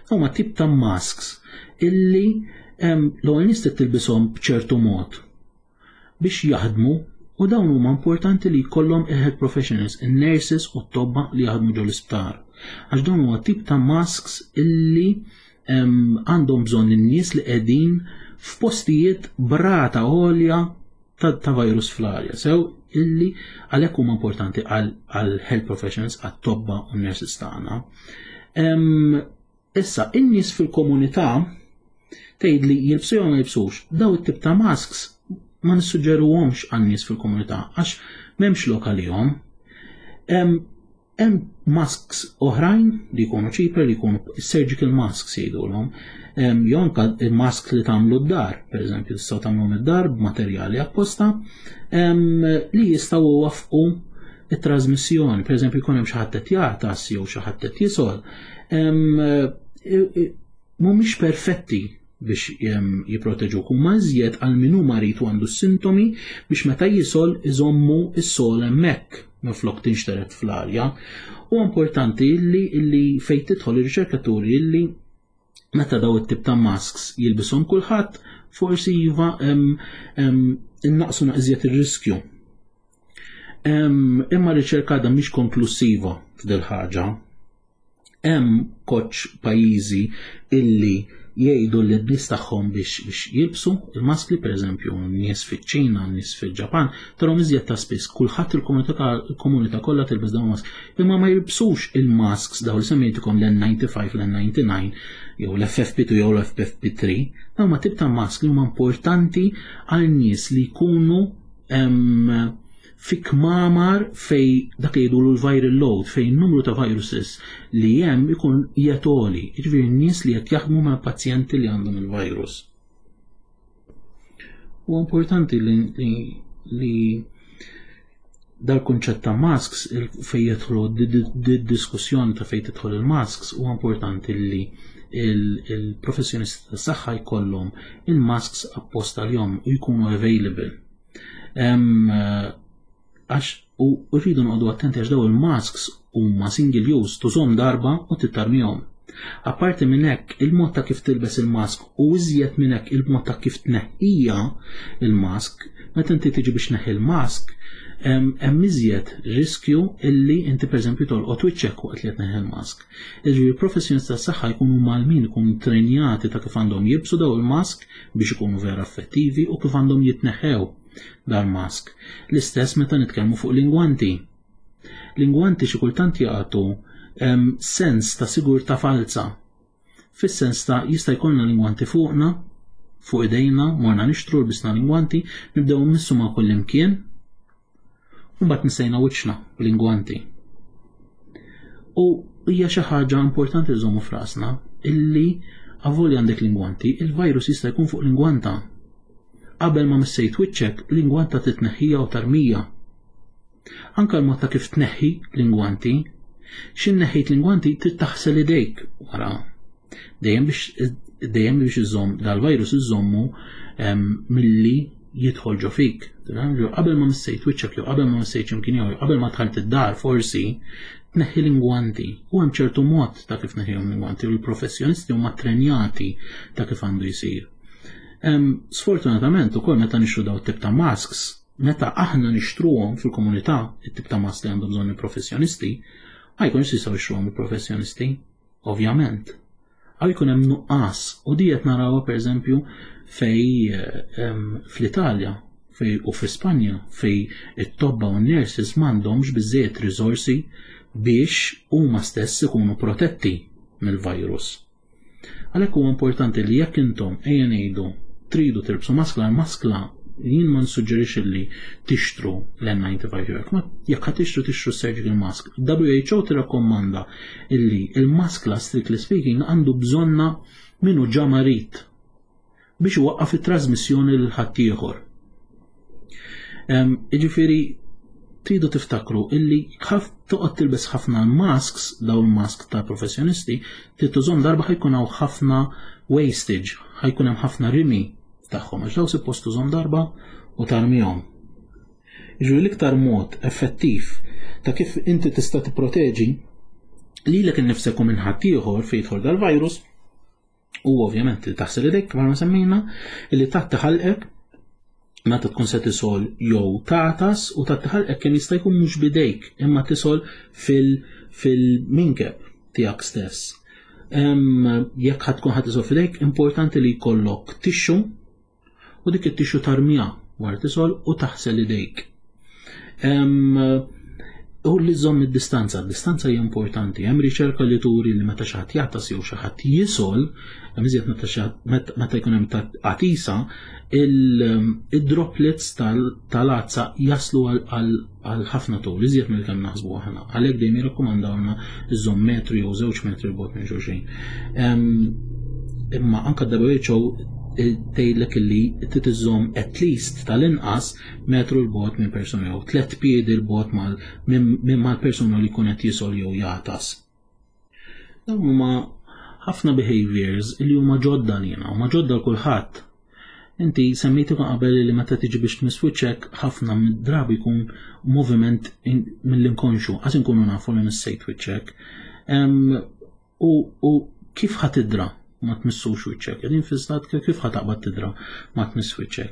Huma tip ta' masks illi l-ewwel nies trid tilbishom b'ċertu mod biex jaħdmu, u dawn huma importanti li jkollhom il-health professionals, in-nurses u t-tobba li jaħdmu ġol isptar. Għax dawn huwa tip ta' masks illi għandhom bżonn in-nies li qegħdin f'postijiet brata għolja ta', ta' virus fl-arja. Sew illi għalhekk huma importanti għal, għal health professionals, għat-tobba u n-nurses tagħna. Issa, in-nies fil-komunità tgħid li jilbsu jew ma jilbsux, daw it-tip ta' masks ma nissuġġeruhomx għan-nies fil-komunità għax m'hemmx lok għalihom. Hemm masks oħrajn li jkunu cheaper, li jkunu surgical masks jgħidulhom. Jew anke il-mask li tagħmlu d-dar, pereżempju tistgħu tagħmlu mid-dar b'materjali apposta, li jistgħu iwaffqu it-trasmissjoni. Pereżempju jkun hemm xi ħadd qed jagħtas jew xi ħadd qed jisol. Mhumiex perfetti biex jipproteġuk, huma iżjed għal min hu marid u għandu s-sintomi biex meta jisol iżommu s-sol hemmhekk. minflok tinxteret fl-arja. U importanti illi illi fejn tidħol ir-riċerkaturi illi meta daw it-tip ta' masks jilbishom kulħadd, forsi iva innaqsu naqżiet ir-riskju. Imma riċerka għadha mhix konklusiva f'dil ħaġa. Hemm koċ pajjiżi illi jgħidu li n-nies tagħhom biex biex jilbsu il-maskli, pereżempju nies fiċ-Ċina, nies fil-Ġapan, tarahom iżjed ta' spiss kulħadd il-komunità kollha tilbes dawn mask. Imma ma jilbsux il-masks daw li semmejtikom l-N ninety five, l-N ninety-nine, jew l-F F P two jew l-F F P three, dawn ma tip ta' mask li huma importanti għal nies li jkunu fi kmamar fej dak li jgħidu l-viral load, fej numru ta' viruses li hemm ikun jetoli, jiġifieri n-nies li qed jaħdmu ma' pazjenti li għandhom il-virus. U importanti li, li, li dal-kunċett ta' masks fej jidħlu diskussjoni ta' fej tidħol il-masks, u importanti li il-professjonisti tas saħħa jkollhom il-masks apposta l-jom u jkunu available. Għax u rridu noqogħdu attenti għax daw il-masks huma single use, tużhom darba u tittarmihom. Apparti minn hekk, il-mod ta' kif tilbes il-mask u iżjed minn hekk il-mod ta' kif tneħħija il-mask, meta inti tiġi biex neħi il-mask, hemm iżjed riskju illi inti, pereżempju, tolqot wiċċek waqt li qed neħi il-mask. Jiġifieri professjonisti tas-saħħa jkunu mgħallmin, ikunu trenjati ta' kif għandhom jilbsu daw il-mask biex ikunu vera effettivi u kif għandhom jitneħħew dal-mask. L-istess meta nitkellmu fuq l-ingwanti. L-ingwanti xi kultant jagħtu sens ta' sigurtà falsa. Fis-sens ta' jista' jkollna l-ingwanti fuqna, fuq idejna, morna nixtru, lbisna l-ingwanti, nibdew missu ma' kull imkien, u mbagħad nsejna wiċċna bl-ingwanti. U hija xi ħaġa importanti nżommu f'rasna illi avolja għandek l-ingwanti, il-virus jista' jkun fuq l-ingwanta. Qabel ma missejt wiċċek, l-ingwanta titneħħija u tarmija. Anka l-mod ta' kif tneħħi l-ingwanti, xin neħħejt l-ingwanti trid taħsel idejk wara. Dejjem biex dejjem biex iżomm dal-virus, iżommu milli jidħol ġo fik. Qabel ma missejt wiċċek jew qabel ma missejt x'imkien jew qabel ma dħalt id-dar forsi tneħħi l-ingwanti. U hemm ċertu mod ta' kif tneħħihom l-ingwanti u l-professjonisti huma trenjati ta' kif għandu jsir. Sfortunatament ukoll meta nixtru daw tip ta' masks, meta aħna nixtruhom fil-komunità, it-tip ta' mask li għandhom bżonn il-professjonisti, ma jkunx jistgħu jixtruhom il-professjonisti, ovvjament. Għaw jkun hemm nuqqas u di qed narawha, pereżempju, fej fl-Italja fej u fi Spanja, fej it-tobba u n-nurses m'għandhomx biżżejjed riżorsi biex huma stess ikunu protetti mill-virus. Għalhekk huwa importanti li jekk intom, ejja ngħidu, tridu tilbsu maskla, l-maskla jien ma nsuġġerix li tixtru l-N ninety five jew ma jekk ħa tixtru, tixtru surgical mask. W H O tirrakkommanda illi il-maskla, strictly speaking, għandu bżonna minu ġa marid biex iwaqqaf it-trasmissjoni lil ħaddieħor. Jiġifieri tridu tiftakru illi ħaf toqgħod tilbes ħafna masks, daw il-mask ta' professjonisti, trid tużhom darba, ħa jkun hawn ħafna wastage, ħa jkun hemm ħafna rimi tagħhom għax daw suppost tużhom darba u tarmihom. Jiġifieri l-iktar mod effettiv ta' kif inti tista' tipproteġi lilek innifsek u minn ħaddieħor fejn jidħol dal-virus u ovvjament li taħsel idek kif ma semmejna, li tgħatti ħalqek meta tkun se tisol jew tagħtas u tgħatti ħalqek kemm jista' jkun mhux bidejk imma tisol fil-minkeb tiegħek stess. Jekk ħa tkun ħa tisol f'idejk, importanti li jkollok tissue u dik it-tissue tarmija wara tisol u taħsel idejk. U li żomm id-distanza, id-distanza hija importanti. Hemm riċerka li turi li meta xi ħadd jagħtas jew xi ħadd jisol, hemm iżjed meta jkun hemm qatisa, il-droplets tal-għatsa jaslu għal ħafna tul, iżjed mill kemm naħsbu aħna. Għalhekk dejjem jirrakkomandawna iżomm metru jew żewġ metri bogħod minn xulxin. Imma anka W H O tgħidlek illi trid iżżomm at least tal-inqas metru 'l bogħod minn persuna jew tliet piedi 'l bogħod minn mal-persuna li jkun qed jisol jew jagħtas. Dawn huma ħafna behaviors li huma ġodda lina, huma ġodda l kulħadd. Inti semmejtu qabel li meta tiġi biex tmiss wiċċek ħafna mid-drabi jkun moviment mill-inkonxu, għax inkunu nafu li missejt wiċċek. U kif ħa tidra ma tmissux wiċċek? Qegħdin fi stat kif ħa taqbad tidra ma tmiss wiċċek?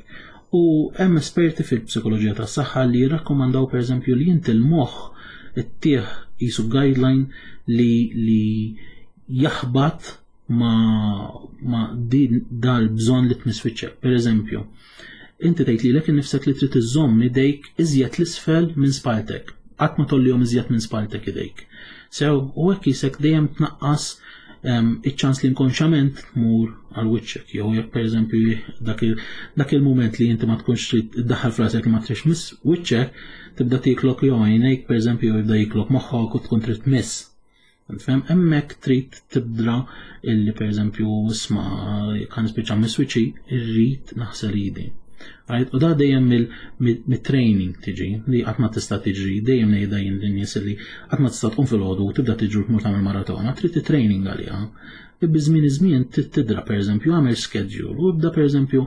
U hemm esperti fil-psikoloġija tas-saħħa li jirrakkomandaw pereżempju li inti l-moħħ ittih qisu guideline li li jaħbat ma, ma din dal-bżonn li tmiss wiċċek. Per eżempju, inti tgħid lilek innifsek li trid iżżomm idejk iżjed l-isfel minn spaltek. Qatt ma tollihom iżjed minn spaltek idejk. Sew, u hekk jisek dejjem tnaqqas iċ-ċans li inkonxament tmur għal wiċċek. Jew jekk pereżempju dak il-mument li inti ma tkunx trid iddaħħal f'rasek li ma tridx tmiss wiċċek, tibda tiklok jew għajnejk pereżempju jibda jiklok moħħok u tkun trid tmiss. Fhem, hemmhekk trid tibdra illi pereżempju isma' kan nispiċċa miss wiċċi, irrid naħsel idi. Right? U da dejjem mit-training tiġi, li qatt ma tista' tiġri, dejjem ngħidha jien lin-nies li qatt ma tista' tqum filgħodu u tibda tiġri tmur tagħmel maratona, trid training għaliha. Biż-żmien iż-żmien trid tidra pereżempju għamel schedule u ibda pereżempju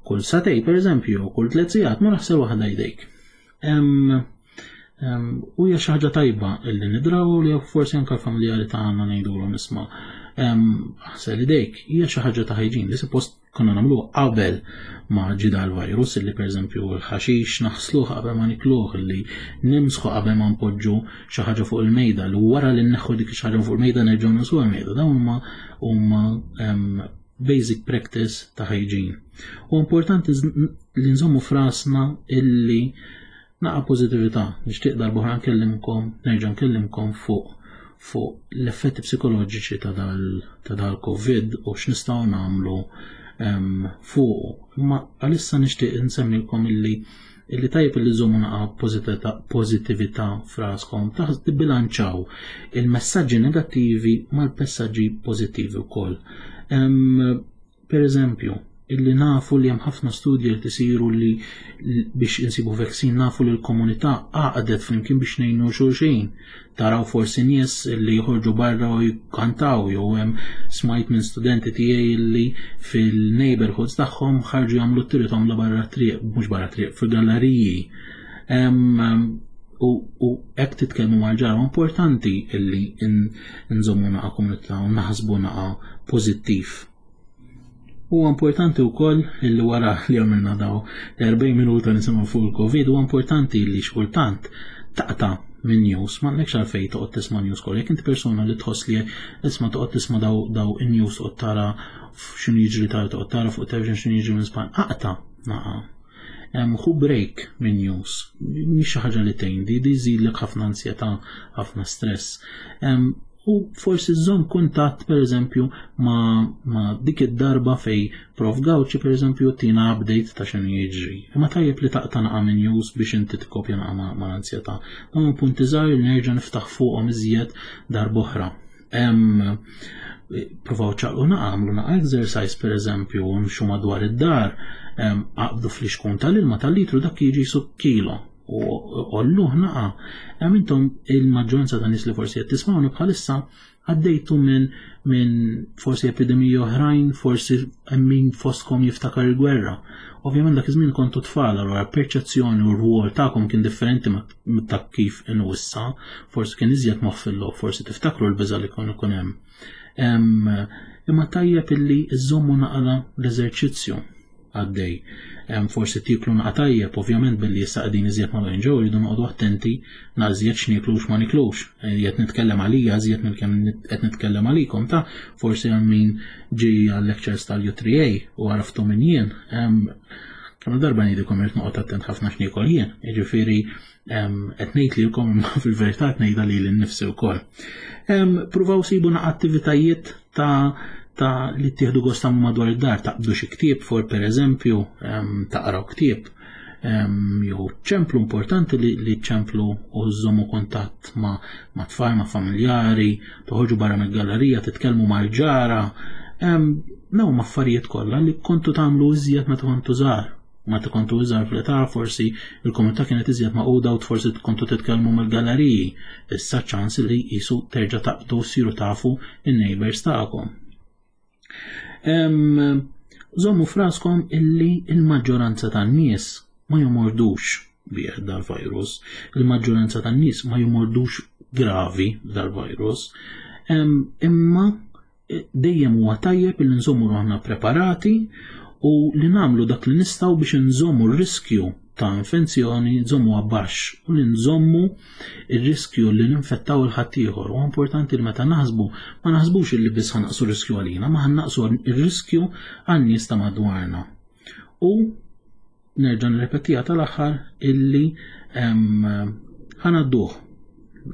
kull sagħtejn pereżempju, kull tliet sigħat ma naħsel waħda jdejk. U hija xi ħaġa tajba illi nidraw li forsi anke l-familjari tagħna ngħidulhom isma' aħsel idejk, hija xi ħaġa ta' hygiene li suppost konna nagħmluha qabel ma ġie dal-virus, illi pereżempju l-ħaxix naħsluh qabel ma nikluh, illi nimsħu qabel ma npoġġu xi ħaġa fuq il-mejda, li wara li nneħħu dik xi ħaġa fuq il-mejda nerġgħu nisuha l-mejda. Dawn huma huma basic practice ta' hygiene. U importanti li nżommu frasna illi naqa' pożittività. Nixtieq darba oħra nkellimkom, nerġa' nkellimkom fuq fuq l-effetti psikoloġiċi ta' dal-Covid u x'nistgħu nagħmlu fuq. Imma għalissa nixtieq insemmilkom illi illi tajjeb illi żommu naqa' pożittività fraskom, tibbilanċaw il-messaġġi negattivi mal-messaġġi pożittivi wkoll. Per eżempju, illi nafu li hemm ħafna studji li tisiru li biex insibu vaccine, nafu li l-komunità għaqdet flimkien biex ngħinu xulxin. Taraw forsi nies li joħorġu barra u jkantaw, jew hemm smajt minn studenti tiegħi li fil-neighborhoods tagħhom ħarġu jagħmlu t-tiritom la barra triq, mhux barra triq, fil-galleriji. U hekk titkellmu mal-ġara, importanti illi nżommu naqa' komunità u naħsbu naqa' pożittiv. Huwa importanti wkoll illi wara li għamilna daw l-erbgħin minuta nisimgħu fuq il-Covid, huwa importanti li xkultant taqta' minn news, ma għandekx għalfejn toqgħod tisma' news kollha. Jekk inti persuna li tħoss li isma' toqgħod tisma' daw daw in-news, toqgħod tara x'inhu jiġri, tara toqgħod tara fuq television x'inhu jiġri minn Spanja, aqta' naqa'. Ħu break minn news, mhix xi ħaġa li tgħin, di żidlek ħafna ansjetà, ħafna stress. U forsi żżomm kuntatt pereżempju ma, ma dik id-darba fej Prof Gauci pereżempju tina update ta' x'inhu jiġri. Imma tajjeb li taqta' naqa' minn news biex inti tikkopja naqa' ma' l-ansjetà. Dawn punti żgħar li nerġa' niftaħ fuqhom iżjed darb'oħra. Provaw ċaqlu naqa', għamlu naqa' exercise pereżempju, nimxu madwar id-dar, aqbdu fl-ixkun tal-ilma tal-litru dak jiġi sub kilo. U olluh naqa'. Hemm intom il-maġġoranza ta' nies li forsi qed tismawni bħalissa għaddejtu minn min forsi epidemiji oħrajn, forsi hemm min fostkom jiftakar il-gwerra. Ovvjament dak iż-żmien kontu tfal, allura perċezzjoni u r-rwol tagħkom kien differenti ta' kif inhu issa, forsi kien iżjed moħħ, forsi tiftakru l-biża' li kien ikun hemm. Imma tajjeb illi żżommu naqra l-eżerċizzju għaddej. Forsi tiklu naqa' tajjeb, ovvjament billi issa qegħdin iżjed magħluqin ġew jridu noqogħdu attenti nażjed x'nieklux ma niklux. Qed nitkellem għalija iżjed minn kemm qed nitkellem għalikom ta' forsi hemm min ġie għal-lectures tal-U three A u għaraftu min jien. Kemm darba ngħidilkom irid noqgħod attent ħafna x'niekol jien, jiġifieri qed ngħid lilkom imma fil-verità qed ngħidha lili nnifsi wkoll. Pruvaw sibu naqa' attivitajiet ta' ta' li tieħdu gost tagħmlu madwar id-dar, taqbdu xi ktieb for pereżempju, taqraw ktieb, jew ċemplu, importanti li, li ċemplu u żommu kuntatt ma', ma' tfal, ma' familjari, toħorġu barra mill-gallerija, titkellmu mal-ġara. Dawn huma affarijiet kollha li kontu tagħmlu iżjed meta kontu żgħar. Meta kontu iżgħar fl-età forsi il-komunità kienet iżjed magħquda u forsi kontu titkellmu mill-galleriji. Issa ċans li qisu terġa' taqbdu ssiru tafu in-neighbors tagħkom. Żommu f'raskom illi il-maġġoranza tan-nies ma jomordux bih dal-virus, il-maġġoranza tan-nies ma jomordux gravi dal-virus, imma dejjem huwa tajjeb li nżommu ruħna preparati u li nagħmlu dak li nistgħu biex nżommu r-riskju ta' infezzjoni nżommu baxx u li nżommu r-riskju li ninfettaw il-ħaddieħor. U importanti li meta naħsbu ma naħsbux li biss ħanaqsu r-riskju għalina, ma ħannaqsu r-riskju għan-nies ta' madwarna. U nerġa' nirrepetiha tal-aħħar illi ħanadduh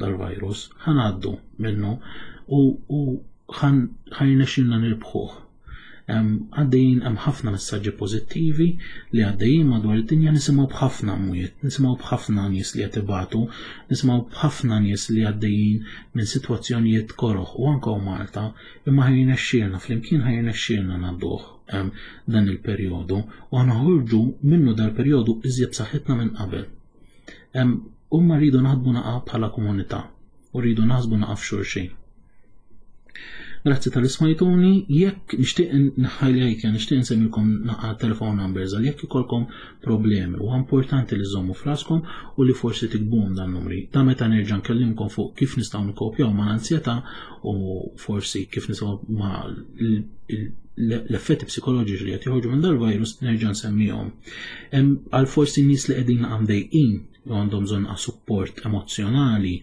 dal-virus, ħanaddu minnu u ħajnexxilna nirbħuh. Għaddejjin hemm ħafna messaġġi pożittivi li għaddejjin madwar id-dinja, nisimgħu b'ħafna mwiet, nisimgħu b'ħafna nies li qed ibatu, nisimgħu b'ħafna nies li għaddejjin minn sitwazzjonijiet koroħ u anke Malta, imma ħajnexxielna flimkien ħajnexxielna ngħadduh dan il-perjodu u ħanoħorġu minnu dal-perjodu iżjed b'saħħitna minn qabel. U ma rridu naħdmu naqa' bħala komunità u rridu naħsbu naqa' f'xulxin. Grazzi tal smajtuni, jekk nixtieq nħajlajt, nixtieq nsemmilkom naqa' telephone numbers għal jekk ikolkom problemi, u importanti li żommu fraskom u li forsi tikbuhom dan numri. Ta' meta nerġa' nkellimkom fuq kif nistgħu nikkopjaw ma' l-ansjetà u forsi kif nistgħu ma' l-effetti psikoloġiċi li qed joħorġu minn dal-virus nerġa' nsemmihom. Għal forsi nies li qegħdin mdejqin u għandhom bżonn support emozzjonali,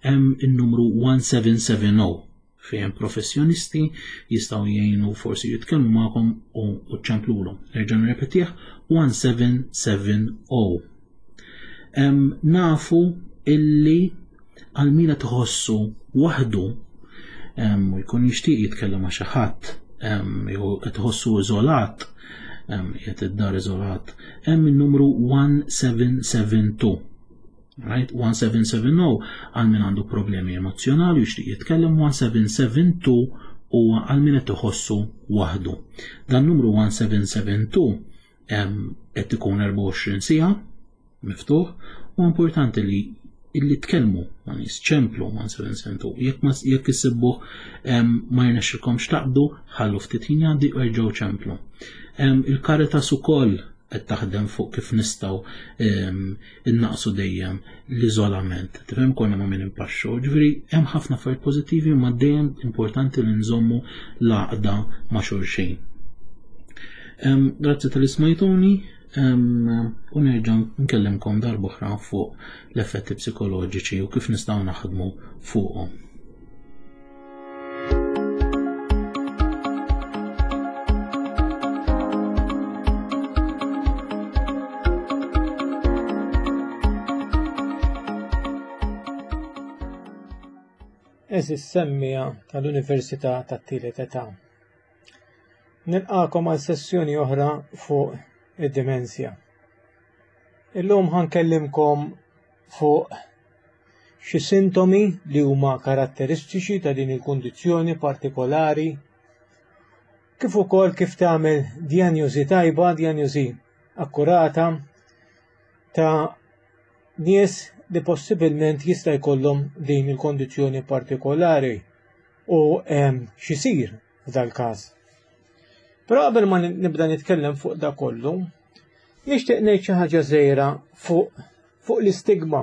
hemm in-numru one seven seven oh fejn professjonisti jistgħu jgħinu forsi jitkellmu magħkom u ċċemplulhom. Nerġa' nirrepetih one seven seven oh. Nafu illi għal min qed iħossu waħdu u jkun jixtieq jitkellem ma' xi ħadd, jew qed iħossu iżolat, qiegħed id-dar iżolat, hemm in-numru one seven seven two. Right? one seven seven oh għal min għandu problemi emozjonali u jixtieq jitkellem, one seven seven two huwa għal min qed iħossu waħdu. Dan numru one seven seven two qed ikun erbgħa u għoxrin siegħa miftuħ, u importanti li illi tkellmu ma' nies, ċemplu one seven seven two. Jekk ma jekk issibbuh ma jirnexxilkomx taqbdu, ħallu ftit ħin jgħaddi u erġgħu ċemplu. Il-Caritas ukoll qed taħdem fuq kif nistgħu innaqsu dejjem l-iżolament. Tifhem konna ma' min impaxxu. Ġifieri hemm ħafna affarijiet pożittivi, ma dejjem importanti li nżommu l-għaqda ma' xulxin. Grazzi tal smajtuni, u nerġa' nkellimkom darb'oħra fuq l-effetti psikoloġiċi u kif nistgħu naħdmu fuqhom. Eżis semmija tal-Università tat-Tielet Età. Nilqakom għal sessjoni oħra fuq id-dimensja. Illum ħankellimkom fuq xi sintomi li huma karatteristiċi ta' din il-kundizzjoni partikolari, kif ukoll kif tagħmel dijanjosi tajba, dijanjosi akkurata ta' nies li possibilment jista' jkollhom din il-kondizzjoni partikolari u x'isir f'dal-każ. Però qabel ma nibda nitkellem fuq da kollu, nixtieq ngħid xi ħaġa żgħira fuq, fuq l-istigma.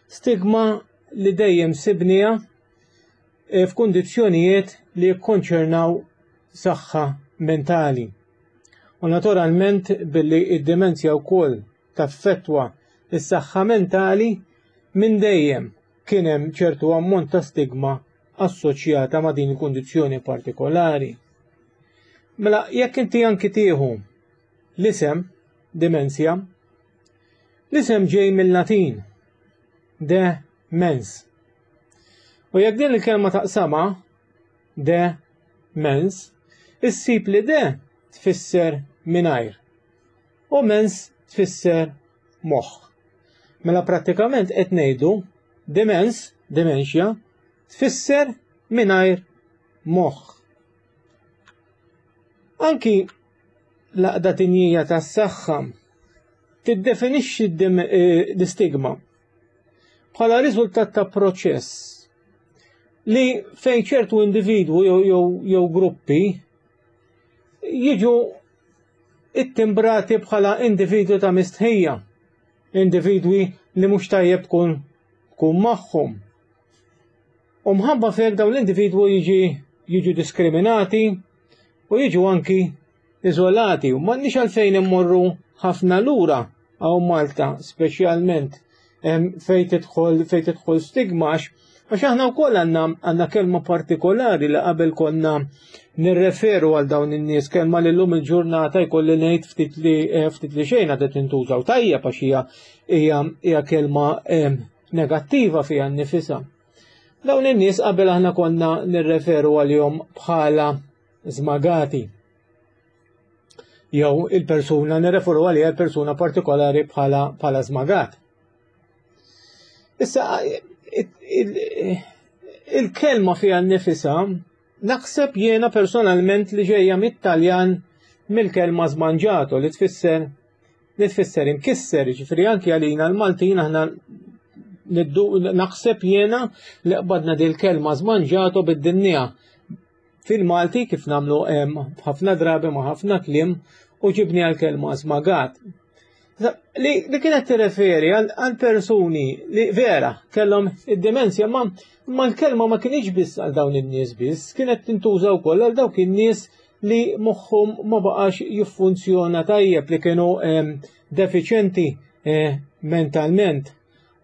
Stigma li dejjem sibniha f'kundizzjonijiet li jikkonċernaw saħħa mentali. U naturalment billi id-dimensja wkoll taffettwa is-saħħa mentali, minn dejjem kien hemm ċertu ammont ta' stigma assoċjata ma' din il-kundizzjoni partikolari. Mela jekk inti anki tieħu l-isem dimensja, l-isem ġej mill-Latin de mens. U jekk din il-kelma taqsama de mens, issib li de tfisser mingħajr u mens tfisser moħħ. Mela prattikament qed ngħidu demens, dementia, tfisser mingħajr moħħ. Anki l-għaqda dinjija tas-saħħa tiddefinixxi l-istigma bħala riżultat ta' proċess li fejn ċertu individwu jew, jew, jew gruppi jiġu ittimbrati bħala individwi ta' mistħija, individwi li mhux tajjeb tkun tkun magħhom. U mħabba f'hekk dawn l-individwu jiġi jiġu diskriminati u jiġu anki iżolati. U m'għandniex għalfejn immorru ħafna lura hawn Malta speċjalment fejn tidħol fejn tidħol stigma, għax aħna wkoll għandna għandna kelma partikolari li qabel konna nirreferu għal dawn in-nies, kelma li llum il-ġurnata jkolli ngħid ftit li ftit li xejn għadet tintuża, u tajjeb għax hija hija hija kelma negattiva fiha nnifisha. Dawn in-nies qabel aħna konna nirreferu għalihom bħala żmagati. Jew il-persuna nirreferu għaliha l-persuna partikolari bħala bħala żmagat. Issa il-kelma fiha nnifisha naħseb jiena personalment li ġejja mit-Taljan, mill-kelma smangiato, li tfisser li tfisser imkisser, ġifieri anki għalina l-Maltin aħna naħseb jiena li qbadna dil kelma smangiato bid-dinja fil-Malti, kif nagħmlu ħafna drabi ma' ħafna kliem, u ġibni għal-kelma żmagat. Li, li kienet tirreferi għal persuni li vera kellhom id-demenzja, ma, ma l-kelma ma kienx biss għal dawn in-nies biss, kienet tintuża wkoll għal dawk in-nies li moħħhom ma baqax jiffunzjona tajjeb, li kienu defiċenti eh, mentalment.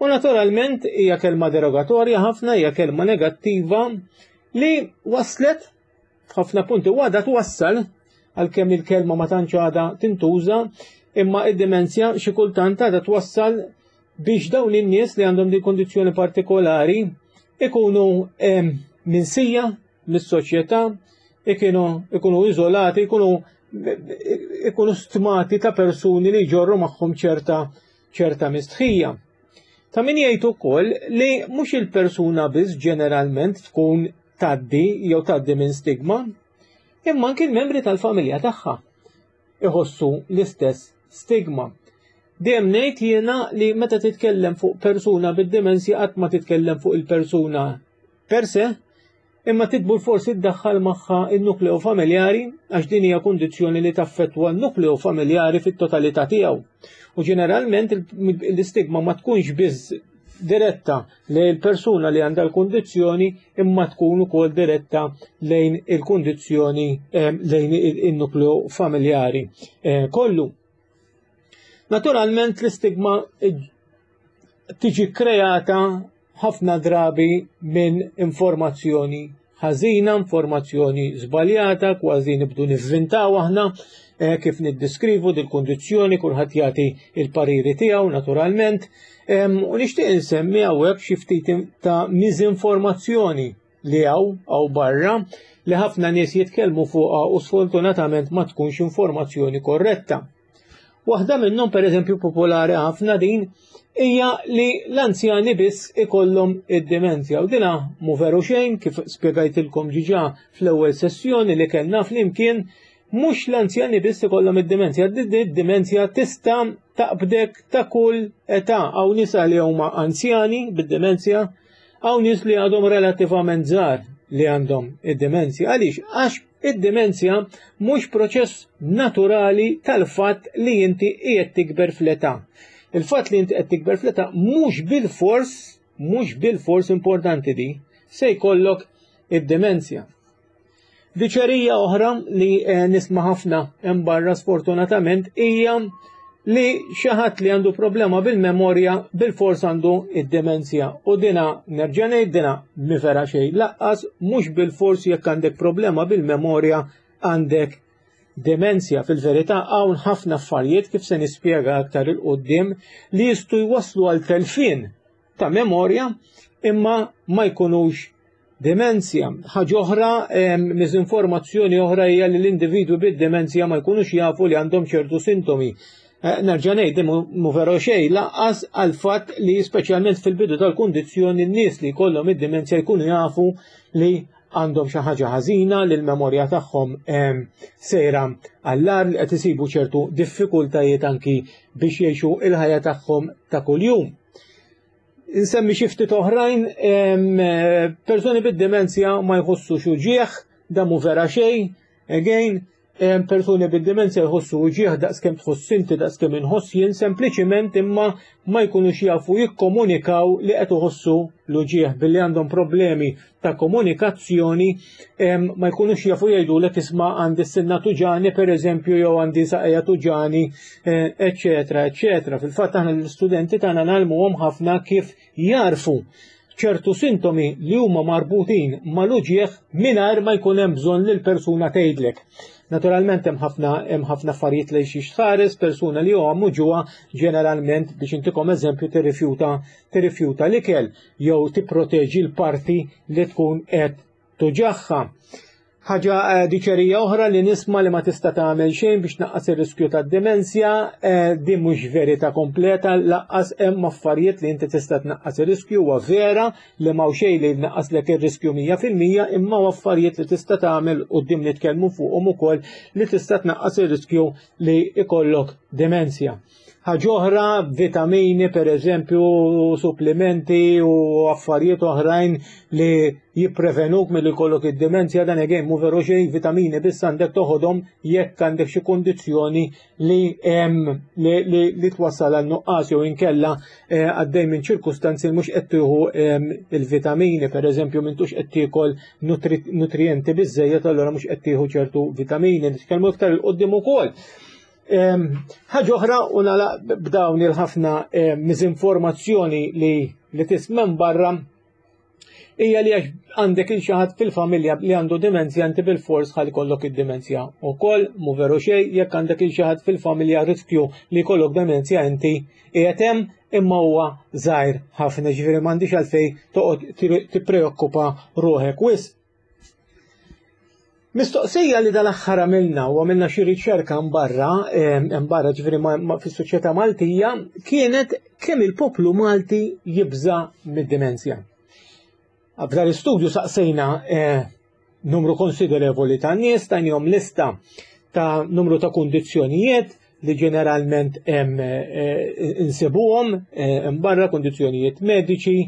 U naturalment hija kelma derogatorja ħafna, hija kelma negattiva li waslet f'ħafna punti u għadha twassal, għalkemm il-kelma ma tantx għadha tintuża, imma id-demenzja xi kultant għadha twassal biex dawn in-nies li għandhom din kondizzjoni partikolari ikunu minsija mis-soċjetà, ikunu ikunu iżolati, ikunu ikunu stmati ta' persuni li jġorru magħhom ċerta ċerta mistħija. Ta' min jgħid ukoll li mhux il-persuna biss ġeneralment tkun tgħaddi jew tgħaddi minn stigma, imma anki l-membri tal-familja tagħha iħossu l-istess stigma. Dejjem ngħid jiena li meta titkellem fuq persuna bid-demenzja qatt ma titkellem fuq il-persuna per se, imma titbur forsi ddaħħal magħha il-nukleu familjari, għax din hija kundizzjoni li taffettwa n-nukleu familjari fit-totalità tiegħu. U ġeneralment l-istigma ma tkunx biss diretta lejn il-persuna li għandha l-kundizzjoni, imma tkun ukoll diretta lejn il-kundizzjoni, lejn il-nukleu familjari kollu. Naturalment l-istigma tiġi kreata ħafna drabi minn informazzjoni ħażina, informazzjoni żbaljata, kważi nibdu nivvintaw aħna kif niddiskrivu dil-kundizzjoni, kulħadd jagħti il-pariri tiegħu naturalment. U nixtieq insemmi hawnhekk xi ftit ta' miżinformazzjoni li hawn hawn barra li ħafna nies jitkellmu fuqha u sfortunatament ma tkunx informazzjoni korretta. Waħda minnhom, pereżempju, popolari ħafna din, hija li l-anzjani biss ikollhom id-demenzja. U dina mhu veru xejn, kif spjegajtilkom ġiġa fl-ewwel sessjoni li kellna flimkien, mhux l-anzjani biss ikollhom id-demenzja. Id-demenzja tista' taqbdek ta' kull età. Hawn nisa li huma anzjani bid-demenzja, hawn nies li għadhom relattivament żgħar li għandhom id-demenzja. Għaliex? Għax id-demenzja mhux proċess naturali tal-fatt li inti qiegħed tikber fl-età. Il-fatt li inti qed tikber fl-età mhux bil-fors, mhux bil-fors importanti di, se jkollok id-demenzja. Diċerija oħra li nisma' ħafna hemm barra sfortunatament hija li xi ħadd li għandu problema bil-memorja bil-fors għandu id-demenzja. U dina nerġa' ngħid, dina mi vera xejn laqqas, mhux bil-fors jekk għandek problema bil-memorja għandek demenzja. Fil-verità hawn ħafna affarijiet, kif se nispjega aktar il quddiem, li jistgħu jwasslu għal telfien ta' memorja imma ma jkunux demenzja. Ħaġa oħra, miżinformazzjoni oħra hija li l-individwi bid-demenzja ma jkunux jafu li għandhom ċertu sintomi. Nerġa' ngħid, mhu veru xejn lanqas għal fatt li speċjalment fil-bidu tal-kundizzjoni n-nies li jkollhom id-demenzja jkunu jafu li għandhom xi ħaġa ħażina, li l-memorja tagħhom sejra għall-agħar, li qed isibu ċertu diffikultajiet anki biex jgħixu il-ħajja tagħhom ta' kuljum. Insemmi xi ftit oħrajn, persuni bid-demenzja ma jħossux uġieħ, da mhu vera xejn, again, Persuni bid-dimenzja jħossu uġigħ daqskemm tħoss inti, daqskemm inħoss jien, sempliċiment imma ma jkunux jafu jikkomunikaw li qed iħossu l-uġigħ billi għandhom problemi ta' komunikazzjoni, ma jkunux jafu jgħidulek isma' għandi s-sinna tuġani pereżempju jew għandi saqajja tuġani, eċetera, eċetera. Fil-fatt aħna l-istudenti tagħna ngħallmuhom ħafna kif jarfu ċertu sintomi li huma marbutin mal-uġigħ mingħajr ma jkun hemm bżonn li l-persuna tgħidlek. Naturalment hemm ħafna hemm ħafna affarijiet li xi tħares, persuna li huwa muġugħa ġeneralment, biex intikom eżempju, tirrifjuta tirrifjuta l-ikel jew tipproteġi l-parti li tkun qed tuġagħha. Ħaġa diċerija oħra li nisma' li ma tista' tagħmel xejn biex tnaqqas ir-riskju tad-dimensja, din mhux verità kompleta, laqqas hemm affarijiet li inti tista' tnaqqas ir-riskju, huwa vera li m'hawn xejn li jnaqqaslek ir-riskju mija fil-mija, imma huwa affarijiet li tista' tagħmel quddiem nitkellmu fuqhom ukoll li tista' tnaqqas ir-riskju li ikollok dimensja. Ħaġa oħra, vitamini per eżempju, supplementi u affarijiet oħrajn li jipprevenuk milli jkollok id-dimenzja, dan again mhu veru xejn, vitamini biss għandek toħodhom jekk għandek xi kundizzjoni li hemm li, li, li twassal għal nuqqas jew inkella għaddej minn ċirkustanzi li mhux qed tieħu il-vitamini, per eżempju m'intux qed tiekol nutrienti biżżejjed, allura mhux qed tieħu ċertu vitamini. Nitkellmu iktar il quddiem ukoll. Ħaġa oħra, u nagħlaq b'dawn il-ħafna miżinformazzjoni li, li tisma' barra, hija li għax għandek il xi ħadd fil-familja li għandu dimenzja inti bil-fors ħalli jkollok id-dimenzja wkoll, mhu veru xejn, jekk għandek il xi ħadd fil-familja riskju li jkollok dimenzja inti qiegħed hemm, imma huwa żgħir ħafna, ġifieri m'għandix għalfejn toqgħod tippreokkupa ruħek wisq. Mistoqsija li dal-aħħar għamilna u għamilna xi riċerka mbarra, mbarra ġifieri fis-soċjetà Maltija, kienet kemm il-poplu Malti jibża' mid-dimenzja. F'dan l-istudju saqsejna numru konsiderevoli ta' nies, tajnihom lista ta' numru ta' kundizzjonijiet li ġeneralment hemm insibuhom mbarra, kundizzjonijiet mediċi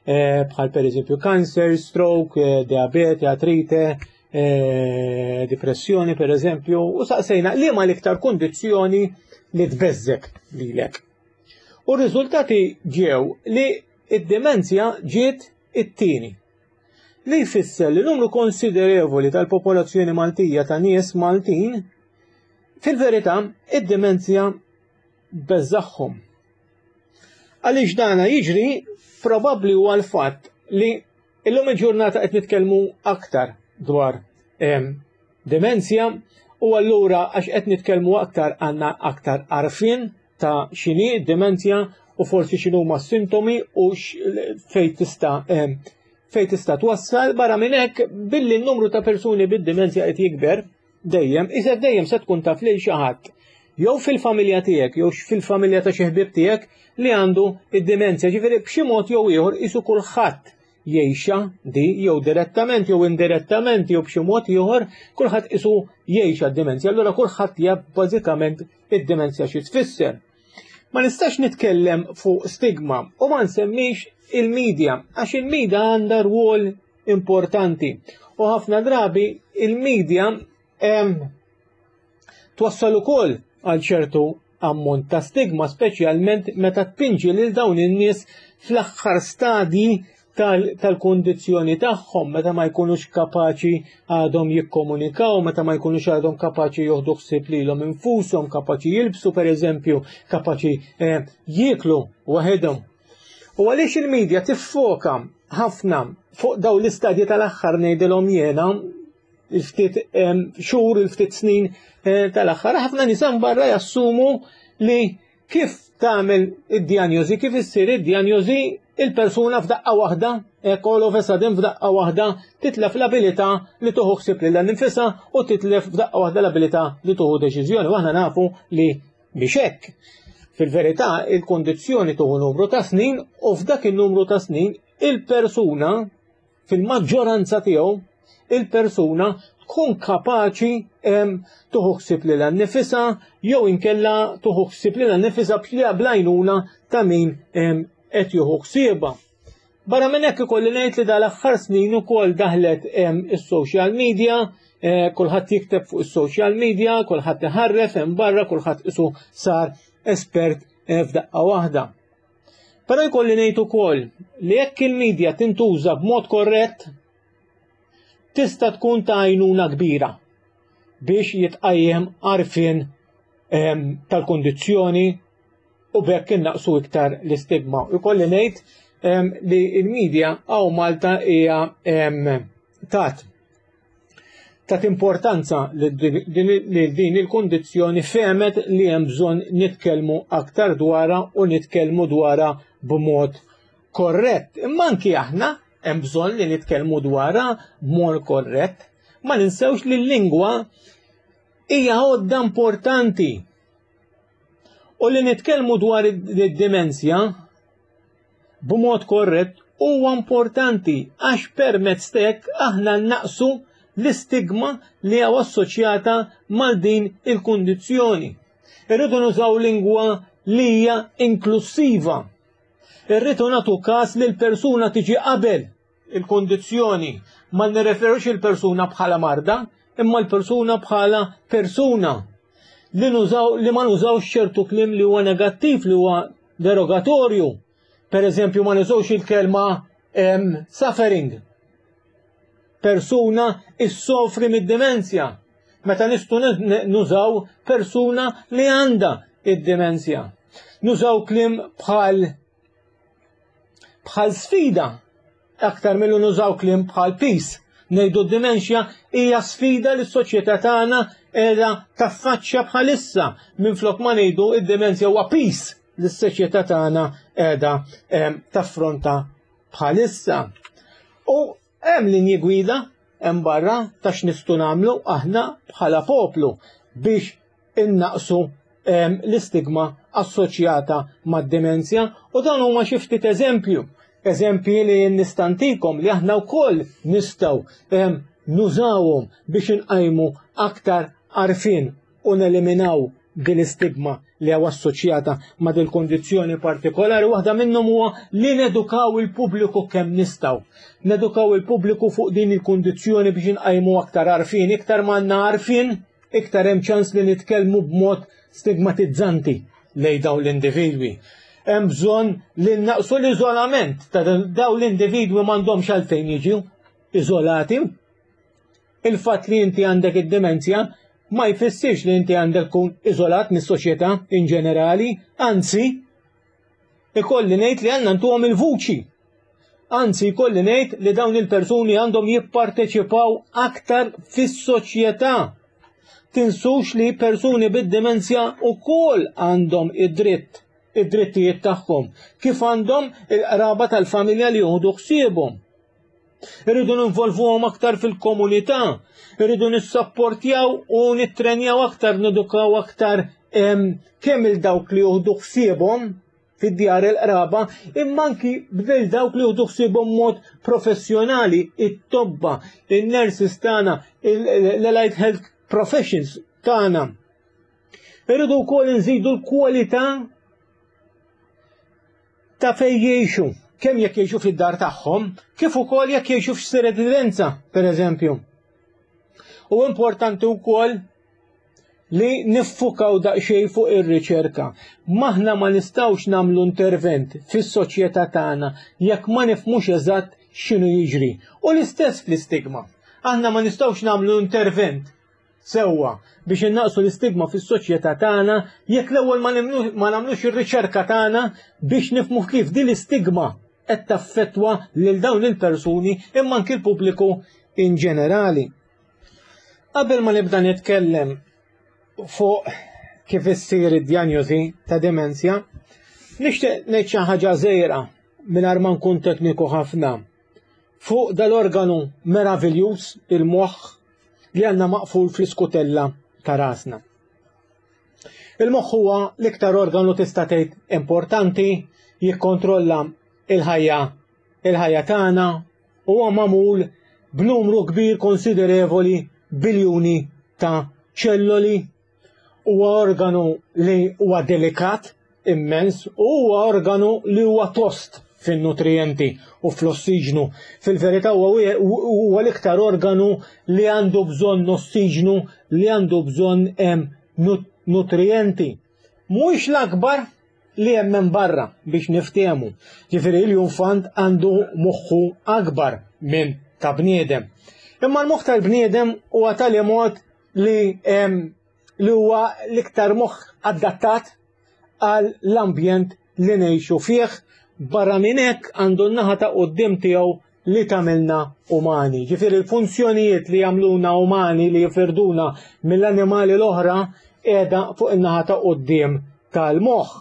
bħal pereżempju cancer, stroke, diabete, artrite, depressjoni per eżempju, u saqsejna li ma l-iktar kundizzjoni li tbeżżek lilek. U r-riżultati ġew li id-demenzja ġiet it-tieni. Li jfisser li numru konsiderevoli tal-popolazzjoni Maltija ta' nies Maltin fil-verità id-demenzja beżaħħom. Għaliex dana jiġri probabbli huwa l-fatt li illum il-ġurnata qed nitkellmu aktar dwar demenzja, u allura għax qed nitkellmu aktar għandna aktar għarfien ta' x'inhi demenzja u forsi x'inhuma s-sintomi u fejn tista' fejn tista' twassal. Barra minn hekk, billi n-numru ta' persuni bid-demenzja qed jikber dejjem, iżda dejjem se tkun taf lil xi ħadd jew fil-familja tiegħek jew fil-familja ta' xi ħbieb tiegħek li għandu id-demenzja, ġifieri b'xi mod jew ieħor isu kulħadd jgħixha di, jew direttament jew indirettament jew b'xi mod ieħor kulħadd isu jgħixha d-demenzja. Allura kulħadd jaf bażikament id-demenzja xi tfisser. Ma nistax nitkellem fuq stigma u ma nsemmix il-medja, għax il-medja għandha rwol importanti u ħafna drabi il-medja twassal ukoll għal ċertu ammont ta' stigma, speċjalment meta tpinġi lil dawn in-nies fl-aħħar stadji tal-kundizzjoni tagħhom, meta ma jkunux kapaċi għadhom jikkomunikaw, meta ma jkunux għadhom kapaċi joħdu ħsieb lilhom infushom, kapaċi jilbsu pereżempju, kapaċi jieklu waħedhom. U għaliex il-medja tiffoka ħafna fuq dawn l-istadji tal-aħħar, ngħidilhom jiena, il-ftit xhur, il-ftit snin tal-aħħar, ħafna nies barra jassumu li kif tagħmel id-dijanjosi, kif issir id-dijanjosi, il-persuna f'daqqa waħda, hekk all of a sudden f'daqqa waħda titlef l-abilità li tuħu ħsieb lilha nnifisha u titlef f'daqqa waħda l-abilità li tuħu deċiżjoni. U aħna nafu li biex hekk. Fil-verità il-kondizzjoni tuħu numru ta' snin u f'dak il-numru ta' snin il-persuna fil-maġġoranza tiegħu il-persuna tkun kapaċi tuħu ħsieb lilha nnifisha jew inkella tuħu ħsieb lilha nnifisha b'għajnuna ta' min qed jieħu ħsiebha. Barra minn hekk ikolli ngħid li dal-aħħar snin ukoll daħlet is-social media, eh, kulħadd jikteb fuq is-social media, kulħadd iħarref hemm barra, kulħadd isu sar espert eh, f'daqqa waħda. Però jkolli ngħid ukoll li jekk il-media tintuża b'mod korrett, tista' tkun ta' għajnuna kbira biex jitqajjem għarfien tal-kondizzjoni u b'hekk innaqsu iktar l-istigma. Ikolli ngħid li il-media hawn Malta hija tat tat importanza li din il-kondizzjoni, fehmet li hemm bżonn nitkellmu aktar dwarha u nitkellmu dwarha b'mod korrett. Imma anki aħna hemm bżonn li nitkellmu dwarha b'mod korrett. Ma ninsewx li l-lingwa hija għodda importanti. U li nitkellmu dwar id-dimensja b'mod korrett huwa importanti għax permezz t'hekk aħna naqsu l-istigma li hawn assoċjata mal din il-kundizzjoni. Irridu nużaw lingwa li hija inklusiva. Irridu nagħtu każ li l-persuna tiġi qabel il-kondizzjoni. Ma nirreferux il-persuna bħala marda, imma l-persuna bħala persuna. Li, nużaw, li ma nużawx ċertu kliem li huwa negattiv, li huwa derogatorju. Per eżempju, ma nużawx il-kelma suffering. Persuna issofri mid-demenzja. Meta nistgħu nużaw persuna li għandha id-demenzja. Nużaw kliem bħal bħal sfida aktar milli nużaw kliem bħal piż. Ngħidu d-dimensja hija sfida li s-soċjetà tagħna qiegħda taffaċċja bħalissa, minflok ma ngħidu id-dimensja huwa piż li s-soċjetà tagħna qiegħda taffronta bħalissa. U hemm linji gwida hemm barra ta' x'nistgħu nagħmlu aħna bħala poplu biex innaqsu l-istigma assoċjata mad-dimensja, u dan huma xi ftit eżempju. Eżempji li nista' ntikom li aħna wkoll nistgħu nużawhom biex inqajmu aktar għarfien u neliminaw din l-istigma li hawn assoċjata ma' dil kondizzjoni partikolari. Waħda minnhom huwa li nedukaw il-pubbliku kemm nistgħu. Nedukaw il-pubbliku fuq din il-kondizzjoni biex inqajmu aktar għarfien. Iktar m'għandna għarfien, iktar hemm ċans li nitkellmu b'mod stigmatizzanti lejn dawn l-individwi. Hemm bżonn li naqsu l-iżolament ta' dawn l-individwi, m'għandhomx għalfejn jiġu iżolati. Il-fatt li inti għandek id-demenzja ma jfissirx li inti għandek tkun iżolat mis-soċjetà in ġenerali, anzi, ikolli ngħid li għandna ntuhom il-vuċi. Anzi, ikolli ngħid li dawn il-persuni għandhom jipparteċipaw aktar fis-soċjetà. Tinsux li persuni bid-demenzja ukoll għandhom id-dritt, id-drittijiet tagħhom, kif għandhom il-qraba tal-familja li jieħdu ħsiebhom. Irridu ninvolvuhom aktar fil-komunità, irridu nissapportjaw u nittrenjaw aktar, nedukaw aktar kemm il dawk li jieħdu ħsiebhom fid-djar il-qraba, imma anki bdel dawk li jieħdu ħsiebhom mod professjonali, it-tobba, in-nurses tagħna, l-allied health professions tagħna. Irridu wkoll nżidu l-kwalità ta' fejn jgħixu, kemm jekk jgħixu fid-dar tagħhom, kif ukoll jekk jgħixu f'xi residenza, per eżempju. U importanti wkoll li niffukaw daqsxejn fuq ir-riċerka. Maħna ma nistgħux nagħmlu intervent fis-soċjetà tagħna jekk ma nifhmux eżatt x'inhu jiġri. U l-istess fl-istigma. Aħna ma nistgħux nagħmlu intervent sewwa biex innaqsu l-istigma fis-soċjetà tagħna jekk l-ewwel ma nagħmlux ir-riċerka tagħna biex nifhmu kif din l-istigma qed taffettwa lil dawn il-persuni imma anki l-pubbliku in ġenerali. Qabel ma nibda nitkellem fuq kif issir id-dijanjosi ta' demenzja, nixtieq ngħid xi ħaġa żgħira mingħajr ma nkun tekniku ħafna fuq dal-organu meraviljuż, il-moħħ, li għandna maqful fl-iskutella ta' rasna. Il-moħħ huwa l-iktar organu tista' tgħid importanti, jikkontrolla il-ħajja il-ħajja tagħna, huwa magħmul b'numru kbir konsiderevoli, biljuni ta' ċelloli, huwa organu li huwa delikat immens u huwa organu li huwa tost. fin-nutrijenti u fl-ossiġnu. Fil-verità huwa l-iktar organu li għandu bżonn ossiġnu, li għandu bżonn nutrijenti. Mhuwiex l-akbar li hemm minn barra biex niftehmu. Ġifieri l-iljunfant għandu moħħu akbar minn ta' bniedem. Imma l-moħħ tal-bniedem huwa tali mod li li huwa l-iktar moħħ adattat għal l-ambjent li ngħixu fih. Barra minn hekk għandu n-naħa ta' quddiem tiegħu li tagħmilna umani. Ġifieri l-funzjonijiet li jagħmluna umani, li jifirduna mill-annimali l-oħra, qiegħda fuq in-naħa ta' quddiem tal-moħħ.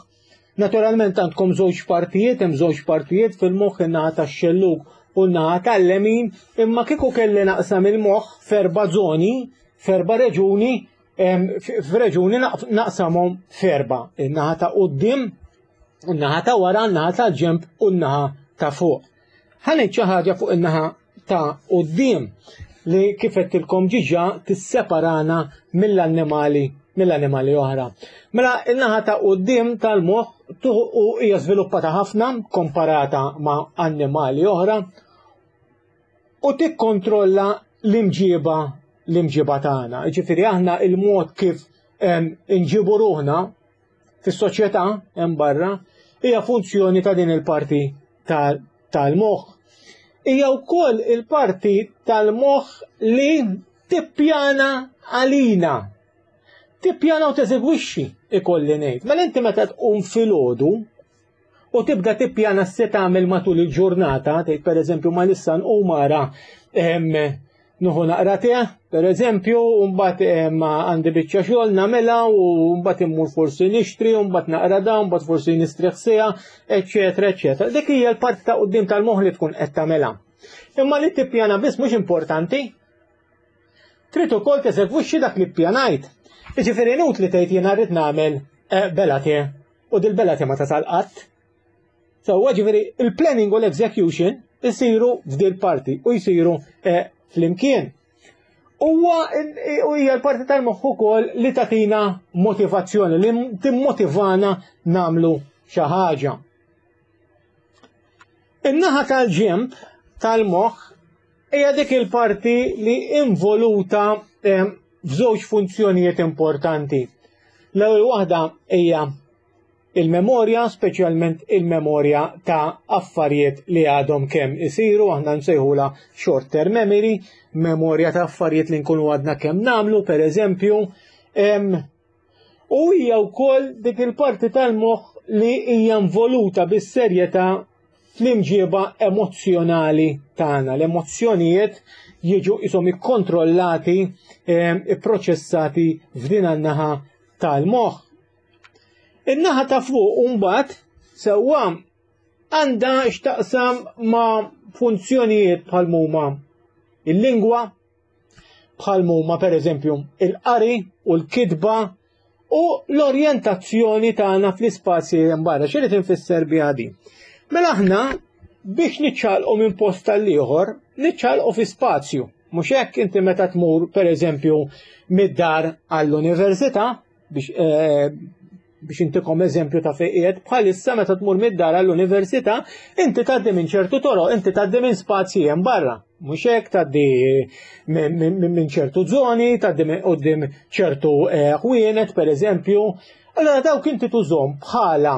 Naturalment għandkom żewġ partijiet, hemm żewġ partijiet fil-moħħ, in-naħa tax-xellug u n-naħa tal-lemin, imma kieku kelli naqsam il-moħħ f'erba' żoni, f'erba' reġuni, f'reġuni naqsamhom f'erba', in-naħa ta' quddiem, in-naħa ta' wara, in-naħa tal-ġenb u n-naħa ta' fuq. Ħa ngħid xi ħaġa fuq in-naħa ta' quddiem li kif għedtilkom ġiġa tisseparana mill-annimali mill-annimali oħra. Mela in-naħa ta' quddiem tal-moħħ u hija żviluppata ħafna komparata ma' annimali oħra u tikkontrolla l-imġiba l-imġiba tagħna. Ġifieri aħna il-mod kif inġibu ruħna fis-soċjetà hemm barra hija funzjoni ta' din il-parti tal-moħħ. Hija wkoll il-parti tal-moħħ li tippjana għalina. Tippjana u teżegwixxi, ikolli ngħid. Mela inti meta tqum filgħodu u tibda tippjana se tagħmel matul il-ġurnata, tgħid pereżempju ma issa nqum ara nuħu naqra te, pereżempju, u mbagħad għandi biċċa xogħol nagħmilha u mbagħad immur forsi nixtri, u mbagħad naqra da, u mbagħad forsi nistrieħ siegħa, eċetera, eċetera. Dik hija l-parti ta' quddiem tal-moħħ li tkun qed tagħmilha. Imma li tippjana biss mhux importanti. Trid ukoll teżegwixxi dak li ppjanajt. Jiġifieri inutli tgħid jiena rrid nagħmel bela te u dil-bela te ma tasal qatt. Sewwa ġifieri il-planning u l-execution isiru f'dil parti u jsiru flimkien. Huwa hija l-parti tal-moħħ ukoll li tagħtina motivazzjoni, li timmotivana nagħmlu xi ħaġa. In-naħa tal-ġenb tal-moħħ hija dik il-parti li involuta f'żewġ funzjonijiet importanti. L-ewwel waħda hija il-memorja, speċjalment il-memorja ta' affarijiet li għadhom kemm isiru, aħna nsejħula short term memory, memorja ta' affarijiet li nkunu għadna kemm nagħmlu, per eżempju. U hija wkoll dik il-parti tal-moħħ li hija involuta bis-serjetà fl-imġiba emozzjonali tagħna. L-emozzjonijiet jiġu ishom ikkontrollati, ipproċessati f'din an-naħa tal-moħħ. In-naħa ta' fuq mbagħad sewwa għandha x'taqsam ma' funzjonijiet bħal huma il-lingwa, bħal huma pereżempju il-qari u l-kitba u l-orjentazzjoni tagħna fl-ispazji hemm barra. X'irid infisser biha din? Mela aħna biex niċċaqlqu minn post tal-ieħor, niċċaqlqu fi spazju. Mhux hekk? Inti meta tmur pereżempju mid-dar għall-università, biex biex intikom eżempju ta' fejn qiegħed bħalissa, meta tmur mid-dar għall-università, inti tgħaddi minn ċertu toroq, inti tgħaddi minn spazji hemm barra. Mhux hekk? Tgħaddi minn ċertu żoni, tgħaddi minn quddiem ċertu ħwienet pereżempju. Allora dawk inti tużhom bħala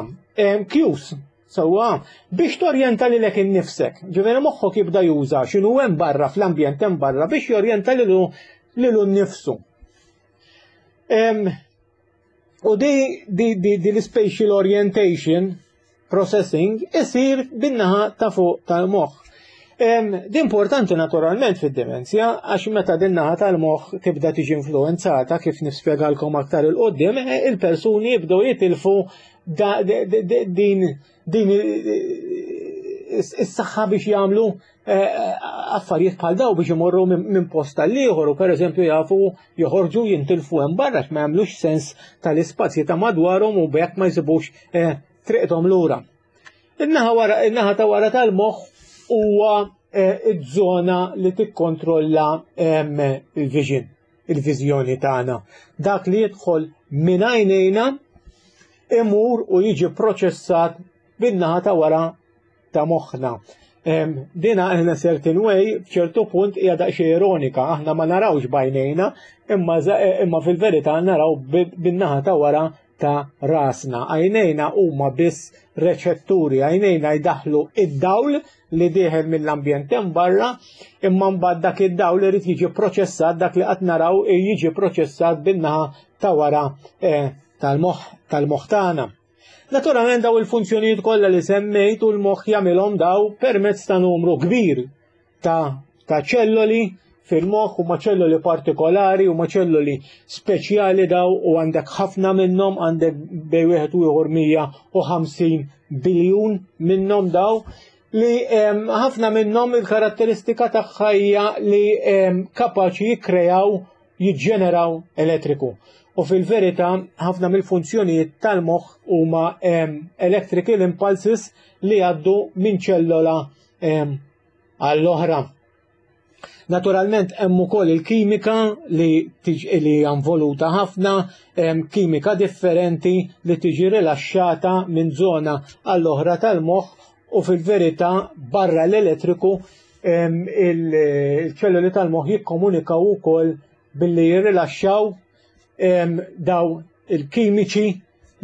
cues sewwa biex torjenta lilek innifsek. Ġifieri moħħok jibda juża x'inhu hemm barra fl-ambjent hemm barra biex jorjenta lilu lilu nnifsu. U di, di, di, di l-spatial orientation processing isir bin-naħa ta' fuq tal-moħħ. Di importanti naturalment fid-demenzja, għax meta din naħa tal-moħħ tibda tiġi influenzata, kif nispjegalkom aktar il-qoddim, il-persuni jibdew jitilfu din din is-saħħa biex jagħmlu affarijiet bħal daw, biex imorru minn post tal-ieħor u pereżempju jafu joħorġu jintilfu hemm barra, ma jagħmlux sens tal-ispazji ta' madwarhom u b'hekk ma jsibux triqthom lura. In-naħa wara, in-naħa ta' wara tal-moħħ huwa iż-żona li tikkontrolla il-vision, il-viżjoni tagħna. Dak li jidħol minn għajnejna imur u jiġi proċessat bin-naħa ta' wara ta' moħħna. Dina in a certain way, f'ċertu punt hija daqsxejn ironika, aħna ma narawx b'għajnejna, imma, imma fil-verità naraw bin-naħa ta' wara ta' rasna. Għajnejna huma biss reċetturi, għajnejna jdaħlu id-dawl li dieħel mill-ambjent hemm barra, imma mbagħad dak id-dawl irid jiġi proċessat, dak li qed naraw jiġi proċessat bin-naħa ta' wara eh, tal-moħħ tal-moħħ tagħna. Naturalment daw il-funzjonijiet kollha li semmejt u l-moħħ jagħmilhom daw permezz ta' numru kbir ta' ta' ċelloli fil-moħħ u ma' ċelloli partikolari u ma' ċelloli speċjali daw u għandek ħafna minnhom, għandek bej wieħed u ieħor mija u ħamsin biljun minnhom daw li ħafna minnhom il-karatteristika tagħha hija li kapaċi jikkrejaw, jiġġeneraw elettriku. U fil-verità ħafna mill-funzjonijiet tal-moħħ huma electrical impulses li jgħaddu minn ċellola għall-oħra. Naturalment hemm ukoll il-kimika li tiġi li hija involuta ħafna, kimika differenti li tiġi rilaxxata minn żona għall-oħra tal-moħħ u fil-verità barra l-elettriku il-ċelloli tal-moħħ jikkomunikaw ukoll billi jirrilaxxaw daw il-kimiċi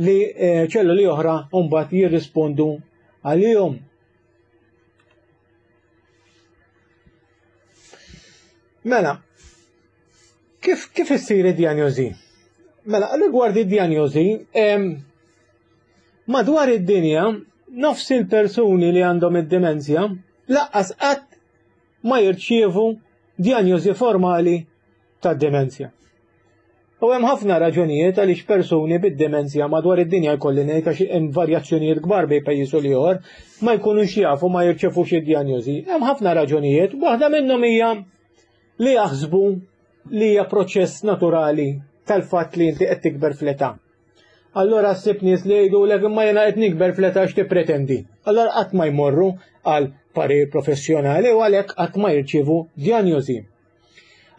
li ċelloli oħra mbagħad jirrispondu għalihom. Mela, kif, kif issir id-dijanjosi? Mela, rigward id-dijanjosi, madwar id-dinja, nofs il-persuni li għandhom id-demenzja laqqas qatt ma jirċievu dijanjosi formali tad-demenzja. U hemm ħafna raġunijiet għaliex persuni bid-demenzja madwar id-dinja jkolli ngħid għax hemm varjazzjonijiet kbar bejn pajjiż u ieħor ma jkunux jafu ma jirċevux id-dijanjosi. Hemm ħafna raġunijiet, waħda minnhom hija li jaħsbu li hija proċess naturali tal-fatt li inti qed tikber fl-età. Allora ssib nies li jgħidulek imma jiena qed nikber fl-età x'tippretendi. Allora qatt ma jmorru għal parir professjonali u għalhekk qatt ma jirċievu dijanjosi.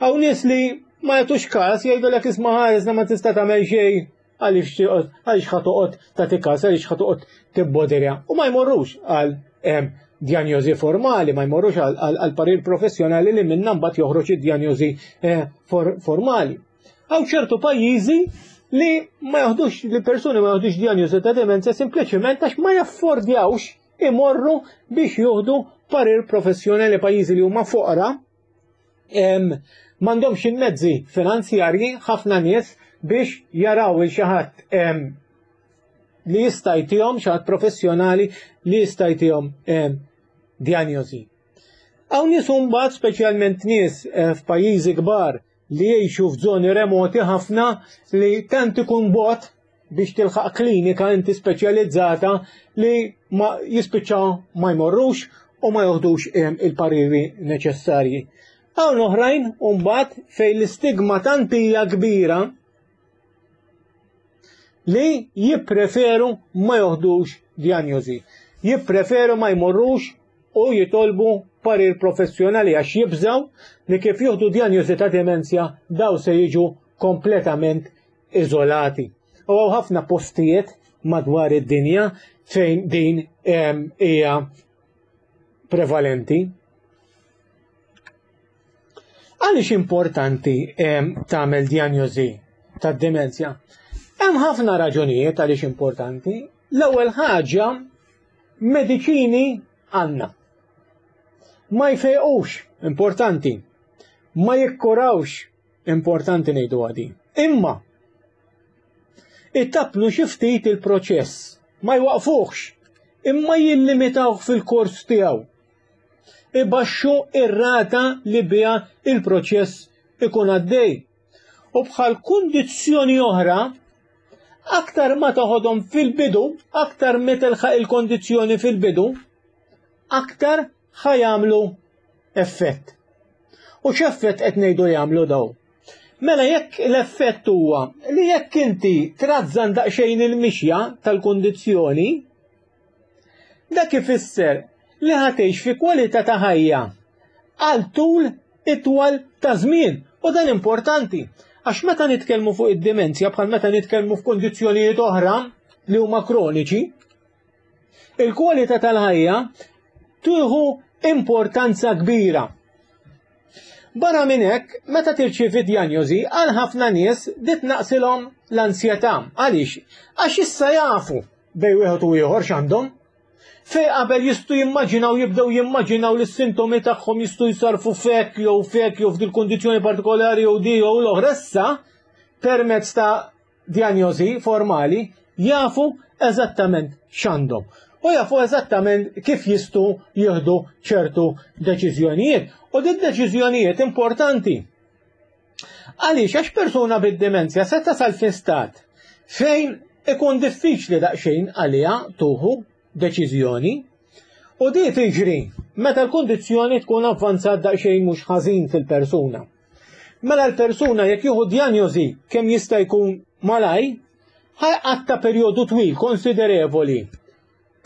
Hawn nies li ma jagħtux każ jgħidulek isma' ħaresna ma tista' tagħmel xejn għaliex għaliex ħa toqgħod tagħti każ, għaliex ħa toqgħod tibboderja. U ma jmorrux għal dijanjosi formali, ma jmorrux għal parir professjonali li minna mbagħad joħroġ id-dijanjosi formali. Hawn ċertu pajjiżi li ma jaħdux, li persuni ma jaħdux dijanjosi ta' demenza sempliċement għax ma jaffordjawx imorru biex juħdu parir professjonali. Pajjiżi li huma foqra m'għandhomx il-mezzi finanzjarji ħafna nies biex jaraw il xi ħadd li jista' jtihom, xi ħadd professjonali li jista' jtihom dijanjosi. Hawn nies mbagħad speċjalment nies f'pajjiżi kbar li jgħixu f'żoni remoti ħafna li tant ikun bot biex tilħaq klinika inti speċjalizzata li ma jispiċċaw ma jmorrux u ma joħdux il-pariri neċessarji. Hawn oħrajn mbagħad fejn l-istigma tant hija kbira li jippreferu ma joħdux dijanjosi, jippreferu ma jmorrux u jitolbu parir professjonali għax jibżaw li kif jieħdu dijanjosi ta' demenzja daw se jiġu kompletament iżolati. U hawn ħafna postijiet madwar id-dinja fejn din hija prevalenti. Għaliex importanti tagħmel dijanjosi tad-demenzja? Hemm ħafna raġunijiet għaliex importanti. L-ewwel ħaġa, mediċini għandna. Ma jfejqux, importanti. Ma jikkurawx, importanti ngħidu għadi. Imma ittapnu xi ftit il-proċess, ma jwaqfuhx, imma jillimitawh fil-kors tiegħu. Ibaxxu ir-rata li biha il-proċess ikun għaddej. U bħal kundizzjoni oħra, aktar ma toħodhom fil-bidu, aktar ma tilħaq il-kondizzjoni fil-bidu, aktar ħajamlu effett. U x'effett qed ngħidu jagħmlu daw? Mela jekk l-effett huwa li jekk inti trażżan daqsxejn il-mixja tal-kundizzjoni, dak ifisser li ħatejx fi kwalità ta' ħajja għal tul itwal ta' żmien. U dan importanti, għax meta nitkellmu fuq id-demenzja bħal meta nitkellmu f'kondizzjonijiet oħra li huma kroniċi, il-kwalità tal-ħajja tieħu importanza kbira. Barra minn hekk, meta tirċievi djanjosi, għal ħafna nies dit naqsilhom l-ansjetà. Għaliex? Għax issa jafu bejn wieħed u ieħor x'għandhom. Fej qabel jistgħu jimmaġinaw, jibdew jimmaġinaw li s-sintomi tagħhom jistgħu jsarfu fek jew fek jew f'dil kundizzjoni partikolari jew di jew l-oħra. Issa permezz ta' djanjosi formali jafu eżattament x'għandhom u jafu eżattament kif jistgħu jieħdu ċertu deċiżjonijiet. U din deċiżjonijiet importanti. Għaliex? Għax persuna bid-demenzja se tasal fi stat fejn ikun diffiċli daqsxejn għaliha tuħu deċiżjoni, u di tiġri meta l-kundizzjoni tkun avvanzat daqsxejn mhux ħażin fil-persuna. Mela l-persuna jekk jieħu djanjosi kemm jista' jkun malaj, ħajqatta perjodu twil konsiderevoli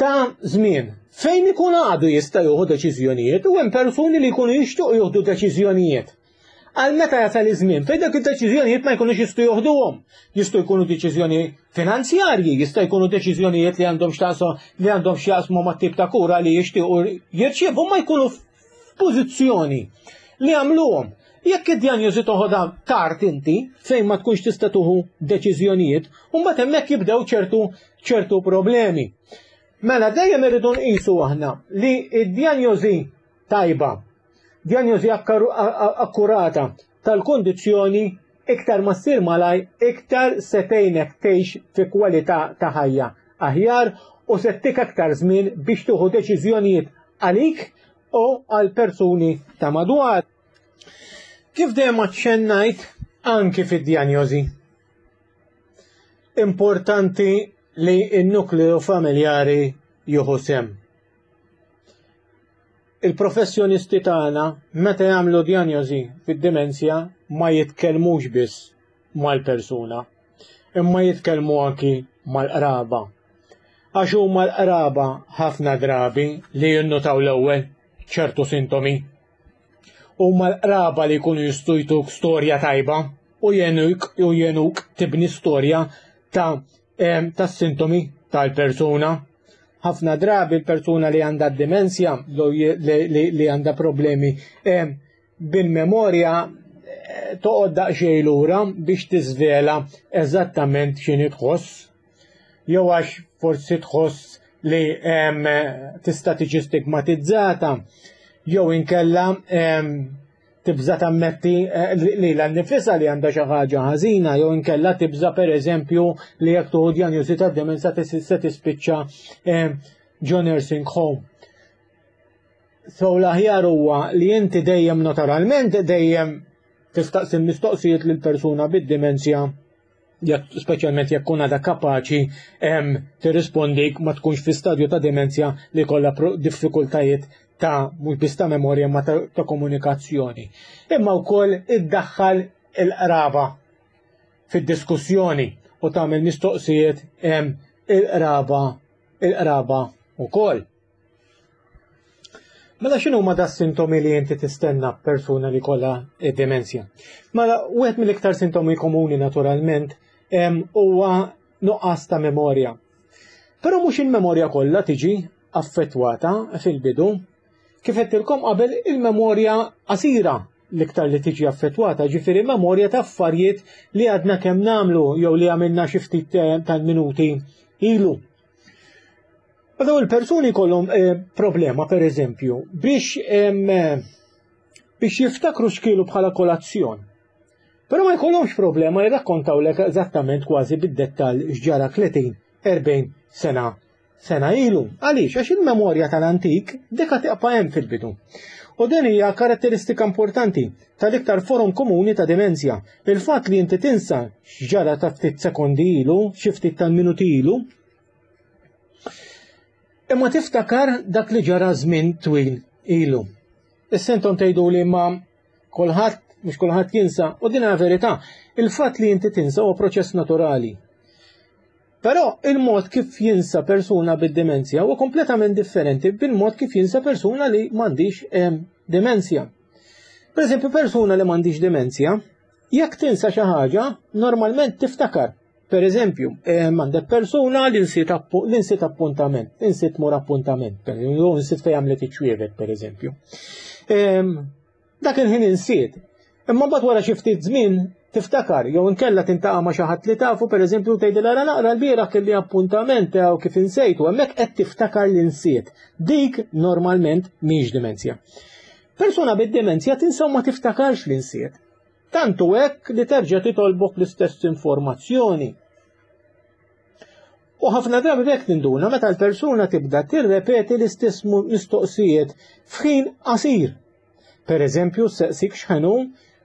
ta' żmien fejn ikun għadu jista' jieħu deċiżjonijiet, u hemm persuni li jkunu jixtiequ jieħdu deċiżjonijiet. Għal meta jasal iż-żmien fejn dak id-deċiżjonijiet ma jkunux jistgħu joħduhom. Jistgħu jkunu deċiżjoni finanzjarji, jista' jkunu deċiżjonijiet li għandhom x'taqsu li għandhom x'jaqsmu mat-tip ta' kura li jixtiequ jirċievu, ma jkunu f'pożizzjoni li jagħmluhom. Jekk id-djanjosi toħodha tard inti fejn ma tkunx tista' tuħu deċiżjonijiet, u mbagħad hemmhekk jibdew ċertu ċertu problemi. Mela dejjem irridu nqisu aħna li id-djanjosi tajba, djanjosi akkurata tal-kondizzjoni iktar ma ssir malaj, iktar se tgħinek tgħix fi kwalità ta' ħajja aħjar u se ttik aktar żmien biex tieħu deċiżjonijiet għalik u għal persuni ta' madwar. Kif dejjem aċċennajt anki fid-djanjosi, importanti li n-nukleu familjari jieħu sehem. Il-professjonisti tagħna meta jagħmlu djanjosi fid-demenzja ma jitkellmux biss mal-persuna, imma jitkellmu anki mal-qraba. Għax huma l-qraba ħafna drabi li jinnutaw l-ewwel ċertu sintomi. Huma l-qraba li jkunu jistgħu jtuk storja tajba u jenuk u jenuk tibni storja ta' tas-sintomi tal-persuna. Ħafna drabi l-persuna li għandha d-demenzja, li għandha problemi bil-memorja, toqgħod daqsxejn lura biex tiżvela eżattament x'inhi tħoss, jew għax forsi tħoss li tista' tiġi stigmatizzata, jew inkella tibża tammetti lilha nnifisha li għandha xi ħaġa ħażina, jew inkella tibża pereżempju li jekk tuħu djanjosi tad-demenza se tispiċċa ġo nursing home. So l-aħjar huwa li inti dejjem naturalment dejjem tistaqsi mistoqsijiet lil persuna bid-demenzja, speċjalment jekk kun għadha kapaċi tirrispondik, ma tkunx fi stadju ta' demenzja li kollha diffikultajiet ta' mhux biss ta' memorja ma ta', ta' komunikazzjoni. Imma wkoll iddaħħal il-qraba fid-diskussjoni u tagħmel mistoqsijiet il-qraba il-qraba wkoll. Mela x'inhu huma da sintomi li inti tistenna persuna li kollha demenzja? Mela wieħed mill-iktar sintomi komuni naturalment huwa nuqqas ta' memorja. Però mhux il-memorja kollha tiġi affettwata fil-bidu. Kif għedtilkom qabel, il-memorja qasira l-iktar li tiġi affettwata, ġifieri memorja ta' affarijiet li għadna kemm nagħmlu jew li għamilna xi ftit tal-minuti ilu. Dawn il-persuni kollhom eh, problema pereżempju biex biex jiftakru x'kielu bħala kolazzjon. Però ma jkollhomx problema jirrakkontawlek eżattament kważi bid-dettall x'ġara tletin erbgħin sena sena ilu. Għaliex? Għax il-memorja tal-antik dika tibqa' hemm fil-bidu. U din hija karatteristika importanti tal-iktar forom komuni ta' demenzja. Il-fatt li inti tinsa x'ġara ta' ftit sekondi ilu, xi ftit tal-minuti ilu, imma tiftakar dak li ġara żmien twil ilu. Issa intom tgħidu li ma kulħadd, mhux kulħadd jinsa, u din hija verità. Il-fatt li inti tinsa huwa proċess naturali. Però il-mod kif jinsa persuna bid-demenzja huwa kompletament differenti bil-mod kif jinsa persuna li m'għandix demenzja. Per eżempju, persuna li m'għandix demenzja, jekk tinsa xi ħaġa, normalment tiftakar. Per eżempju, għandek persuna li nsiet appuntament, nsiet mur appuntament, nsiet fejn għamlet iċ-ċwievet, per eżempju. Dak il-ħin insiet. Imma mbagħad wara xi ftit żmien tiftakar, jew inkella tintaqa' ma' xi ħadd li tafu, pereżempju, tgħidilha ara naqra l-bieraħ kelli appuntament jew kif insejt, u hemmhekk qed tiftakar li nsiet. Dik normalment mhix dimenzja. Persuna bid-dimenzja tinsa ma tiftakarx li nsiet. Tantu hekk li terġa' titolbok l-istess informazzjoni. U ħafna drabi b'hekk tinduna meta l-persuna tibda tirrepeti l-istess mistoqsijiet f'ħin qasir. Per eżempju, seqsik x'ħenu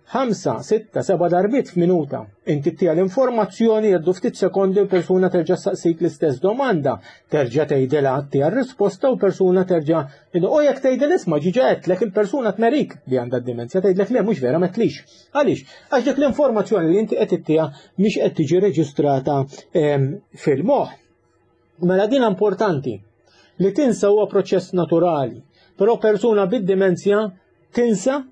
ħamsa, sitta, seba' darbiet f'minuta. Inti ttiha l-informazzjoni, jgħaddu ftit sekondi u persuna terġa' saqsik l-istess domanda. Terġa' tgħidilha, ttiha r-risposta u persuna terġa' u jekk tgħidilha isma' ġiġa għedtlek, il-persuna tmerik li għandha d-dimenzja, tgħidlek le, mhux vera, m'għedtlix. Għaliex? Għax dik l-informazzjoni li inti qed ittiha mhix qed tiġi reġistrata fil-moħħ. Mela din importanti li tinsa huwa proċess naturali, però persuna bid-dimenzja tinsa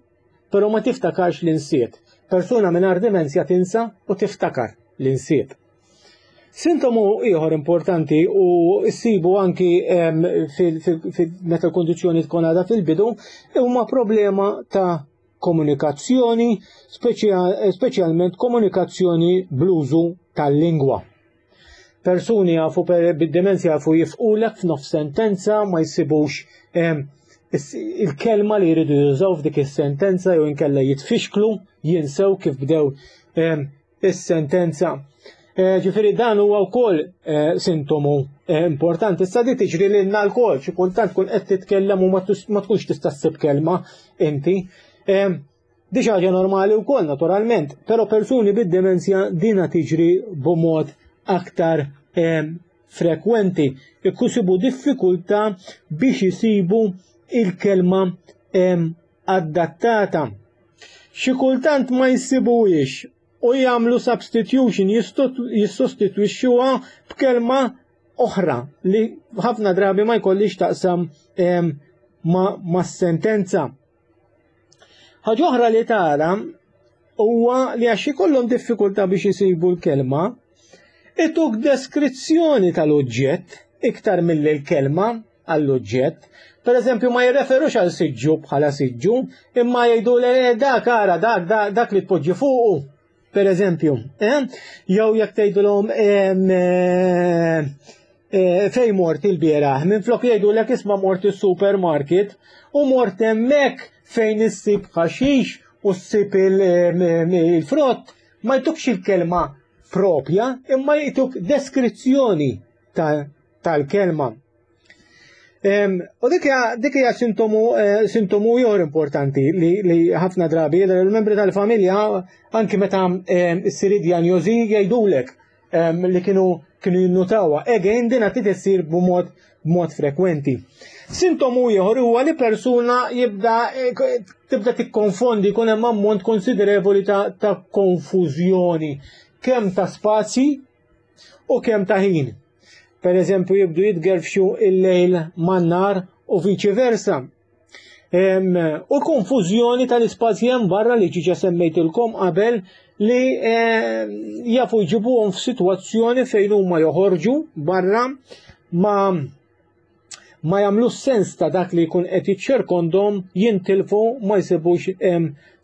però ma tiftakarx li nsiet. Persuna mingħajr dimenzja tinsa u tiftakar li nsiet. Sintomu ieħor importanti u ssibu anki meta l-kondizzjoni tkun għadha fil-bidu huma problema ta' komunikazzjoni, speċjalment komunikazzjoni bl-użu tal-lingwa. Persuni jafu bid-dimenzja jafu jifqulek f'nofs sentenza, ma jsibux il-kelma li jridu jużaw f'dik is-sentenza jew inkella jitfixklu, jinsew kif bdew is-sentenza. Ġifieri dan huwa wkoll sintomu importanti. Issa di tiġri lilna lkoll, xi kultant tkun qed titkellem u ma tkunx tista' ssib kelma inti. Di xi ħaġa normali wkoll naturalment, però persuni bid-dimenzja dina tiġri b'mod aktar frekwenti. Ikkusibu diffikultà biex isibu il-kelma adattata. Xi kultant ma jsibuhiex u jagħmlu substitution, jissostitwixxuha b'kelma oħra li ħafna drabi ma jkollix taqsam mas-sentenza. Ħaġa oħra li tara huwa li għax ikollhom diffikultà biex isibu l-kelma, ituk deskrizzjoni tal-oġġett iktar milli l-kelma għall-oġġett. Per eżempju, ma jirreferux għal siġġu bħala siġġu, imma jgħidu le dak ara, dak, dak, dak li tpoġġi fuqu, per eżempju. Eh? Jew jekk tgħidulhom fejn mort il-bieraħ, minflok jgħidulek isma' mort is-supermarket u mort hemmhekk fejn issib ħaxix u ssib il-frott, ma jtukx il-kelma propja, imma jtuk deskrizzjoni tal-kelma. U dik hija sintomu sintomu ieħor importanti li ħafna drabi il-membri tal-familja anki meta ssir dijanjosi jgħidulek li kienu kienu jinnutawha. Again, din qed issir b'mod b'mod frekwenti. Sintomu ieħor huwa li persuna jibda tibda tikkonfondi, jkun hemm ammont konsiderevoli ta', ta' konfużjoni, kemm ta' spazji u kemm ta' ħin. Per eżempju, jibdu jitgerfxu il-lejl man-nar u viċi versa. U konfużjoni tal-ispazji hemm barra li ġiġa semmejtilkom qabel li jafu jġibuhom f'sitwazzjoni fejn huma joħorġu barra ma ma jagħmlux sens ta' dak li jkun qed jiċċirkondhom, jintilfu, ma jsibux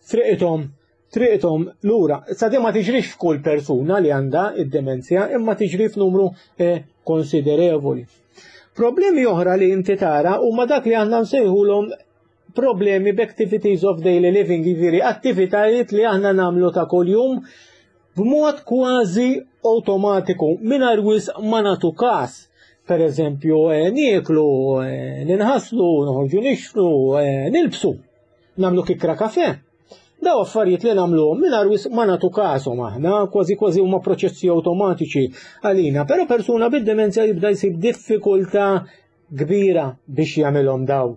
triqithom triqithom lura. Sa di ma tiġrix f'kull persuna li għandha id-demenzja, imma tiġri f'numru konsiderevoli. Problemi oħra li inti tara huma dak li aħna nsejħulhom problemi b'activities of daily living, jiġifieri attivitajiet li aħna nagħmlu ta' kuljum b'mod kważi awtomatiku mingħajr wisq ma nagħtu każ. Per eżempju, nieklu, ninħaslu, noħorġu nixtru, nilbsu, nagħmlu kikra kafe. Daw affarijiet li nagħmluhom mingħajr wisq ma nagħtu każhom aħna, kważi kważi huma proċessi awtomatiċi għalina, però persuna bid-demenzja jibda jsib diffikultà kbira biex jagħmilhom daw.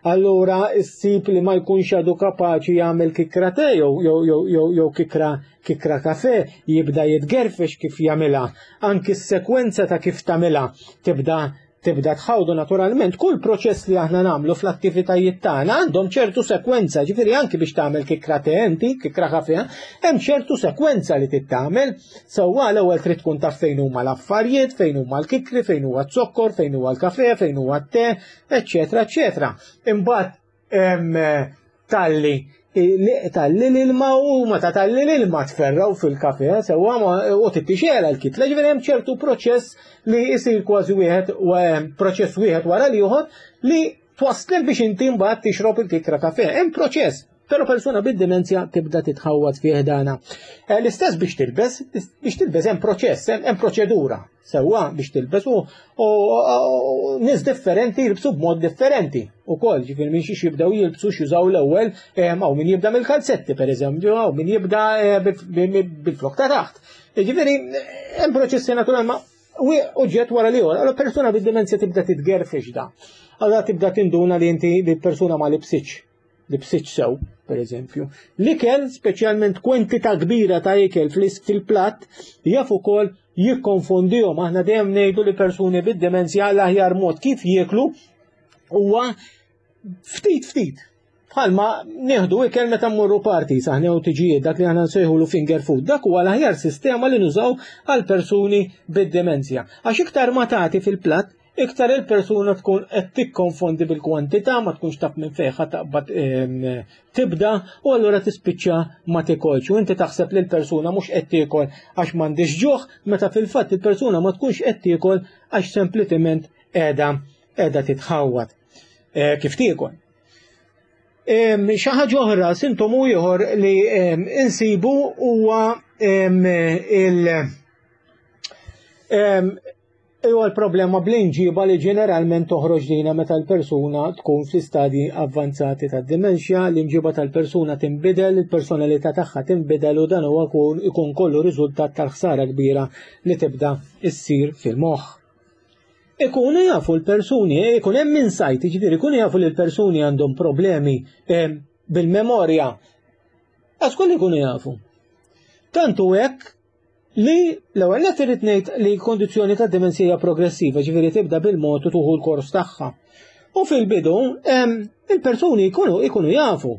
Allura issib li ma jkunx għadu kapaċi jagħmel kikra te jew jew jew jew jew kikra kikra kafe, jibda jitgerfex kif jagħmilha. Anki s-sekwenza ta' kif tagħmilha tibda Tibda tħawdu naturalment, kull proċess li aħna nagħmlu fl-attivitajiet tagħna għandhom ċertu sekwenza, ġifieri anki biex tagħmel kikra te inti, kikra kafe, hemm ċertu sekwenza li tittamel. Sewwa l-ewwel trid tkun taf fejn huma l-affarijiet, fejn huma l-kikri, fejn huwa z-zokkor, fejn huwa l-kafe, fejn huwa t-te, eċċetera, eċċetera. Imbagħad talli talli l-ilma u meta talli l-ilma tferraw fil-kafe, sewwa u tittixela l-kitla, ġifieri hemm ċertu proċess li jsir kważi wieħed proċess wieħed wara l-ieħor li twasslek biex inti mbagħad tixrob il-kikra kafe. Hemm proċess, però persuna bid-dimenzja tibda titħawwad fih dana. L-istess biex tilbes, biex tilbes hemm proċess, hemm proċedura sewwa biex tilbes u nies differenti jilbsu b'mod differenti ukoll, ġifieri minn xiex jibdew jilbsu x'jużaw l-ewwel, hawn min jibda mill-kalzetti pereżempju, hawn min jibda bil-flok ta' taħt. Ġifieri hemm proċessi naturali ma oġġett wara l-ieħor. Allora persuna bid-dimenzja tibda titgerfex da. Allora tibda tinduna li inti li persuna ma libsitx, libsitx sew, per eżempju. L-ikel, speċjalment kwantità kbira ta' ikel fil-platt, jaf ukoll jikkonfondihom. Aħna dejjem ngħidu li persuni bid-dimenzja l-aħjar mod kif jieklu huwa ftit ftit. Bħalma nieħdu ikel meta mmorru party, saħna u tiġijiet, dak li aħna nsejħulu finger food, dak huwa l-aħjar sistema li nużaw għal persuni bid-dimenzja. Għax iktar ma tagħti fil-platt, iktar il-persuna tkun qed tikkonfondi bil-kwantità, ma tkunx taf minn fejn ħa taqbad tibda, u allura tispiċċa ma tikolx. U inti taħseb li l-persuna mhux qed tiekol għax m'għandix ġuħ, meta fil-fatt il-persuna ma tkunx qed tiekol għax sempliċement qiegħda qiegħda titħawwad kif tiekol. Xi ħaġa oħra, sintomu ieħor li insibu huwa il huwa l-problema bl-inġiba li ġeneralment toħroġ dina meta l-persuna tkun fi stadji avvanzati tad-dimensja, l-inġiba tal-persuna tinbidel, il-personalità tagħha tinbidel u dan huwa ikun kollu riżultat tal-ħsara kbira li tibda issir fil-moħħ. Ikunu jafu l-persuni, ikun hemm insight, jiġifieri ikunu jafu li l-persuni għandhom problemi bil-memorja. Għax kollu ikunu jafu. Tantu hekk li l-ewwel nett irid ngħid li l-kondizzjoni ta' dimensija progressiva, ġifieri tibda bil-mod u tuħu l-kors tagħha. U fil-bidu il-persuni jkunu ikunu jafu.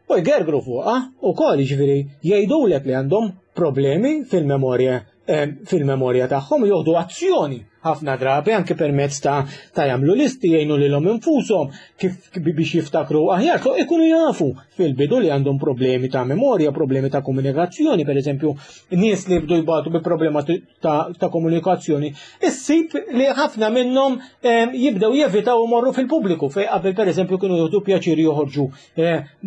U jgergru fuqha ukoll, jiġifieri jgħidulek li għandhom problemi fil-memorja fil-memorja tagħhom, joħdu azzjoni ħafna drabi anke permezz ta' ta' jagħmlu listi, jgħinu lilhom infushom kif biex jiftakru aħjar, so ikunu jafu fil-bidu li għandhom problemi ta' memorja, problemi ta' komunikazzjoni, per eżempju, nies li jibdu jbatu bi problema ta', ta' komunikazzjoni, issib li ħafna minnhom jibdew jevitaw imorru fil-pubbliku fejn qabel per eżempju kienu jieħdu pjaċir joħorġu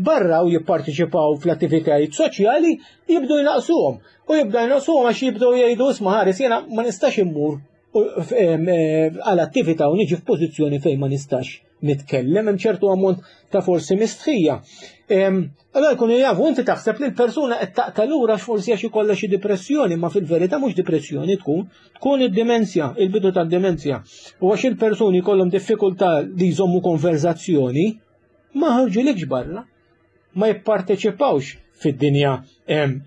barra u jipparteċipaw fl-attivitajiet soċjali, jibdu jnaqsuhom. U jibda jnaqsuhom għax jibdew jgħidu isma' ħares jiena ma nistax immur għal attività u niġi f'pożizzjoni fejn ma nistax nitkellem, hemm ċertu ammont ta' forsi mistħija. Allora jkunu jafu, inti taħseb li l-persuna qed taqta' lura forsi għax ikollha xi depressjoni, ma fil-verità mhux depressjoni tkun, tkun id-dimensja, il-bidu tad-dimensja. U għax il-persuni jkollhom diffikultà li jżommu konverzazzjoni, ma ħarġulikx barra, ma jipparteċipawx fid-dinja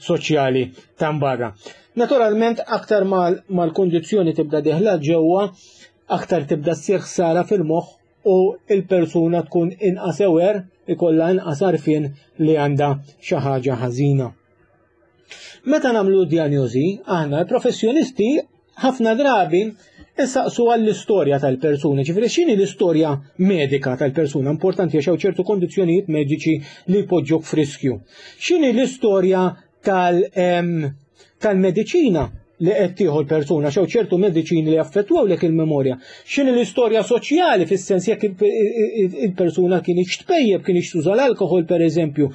soċjali ta' barra. Naturalment, aktar mal-kondizzjoni tibda diħla ġewwa, aktar tibda ssir ħsara fil-moħħ u il-persuna tkun inqas aware, ikollha inqas għarfien li għandha xi ħaġa ħażina. Meta nagħmlu diagnosi, aħna l-professjonisti ħafna drabi insaqsu għall-istorja tal-persuna, ġifieri x'inhi l-istorja medika tal-persuna, importanti għax hawn ċertu kondizzjonijiet mediċi li jpoġġuk f'riskju. X'inhi l-istorja tal-mediċina li qed tieħu l-persuna, xew ċertu mediċini li jaffettwawlek il-memorja. X'inhi l-istorja soċjali fis-sens jekk il-persuna kienx tpejjeb, kienx tuża l-alkoħol pereżempju,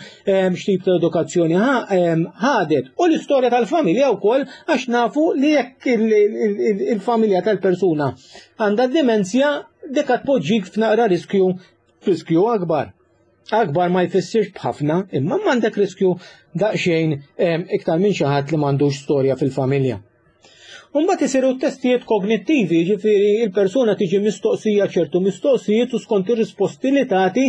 x'tip ta' edukazzjoni ħadet. U l-istorja tal-familja wkoll għax nafu li jekk il-familja tal-persuna għandha demenzja dik tpoġġik f'naqra riskju riskju akbar. Akbar ma jfissirx b'ħafna, imma m'għandek riskju daqsxejn iktar minn xi ħadd li m'għandux storja fil-familja. Mbagħad isiru testijiet kognittivi, jiġifieri il-persuna tiġi mistoqsija ċertu mistoqsijiet u skont ir-risposti li tagħti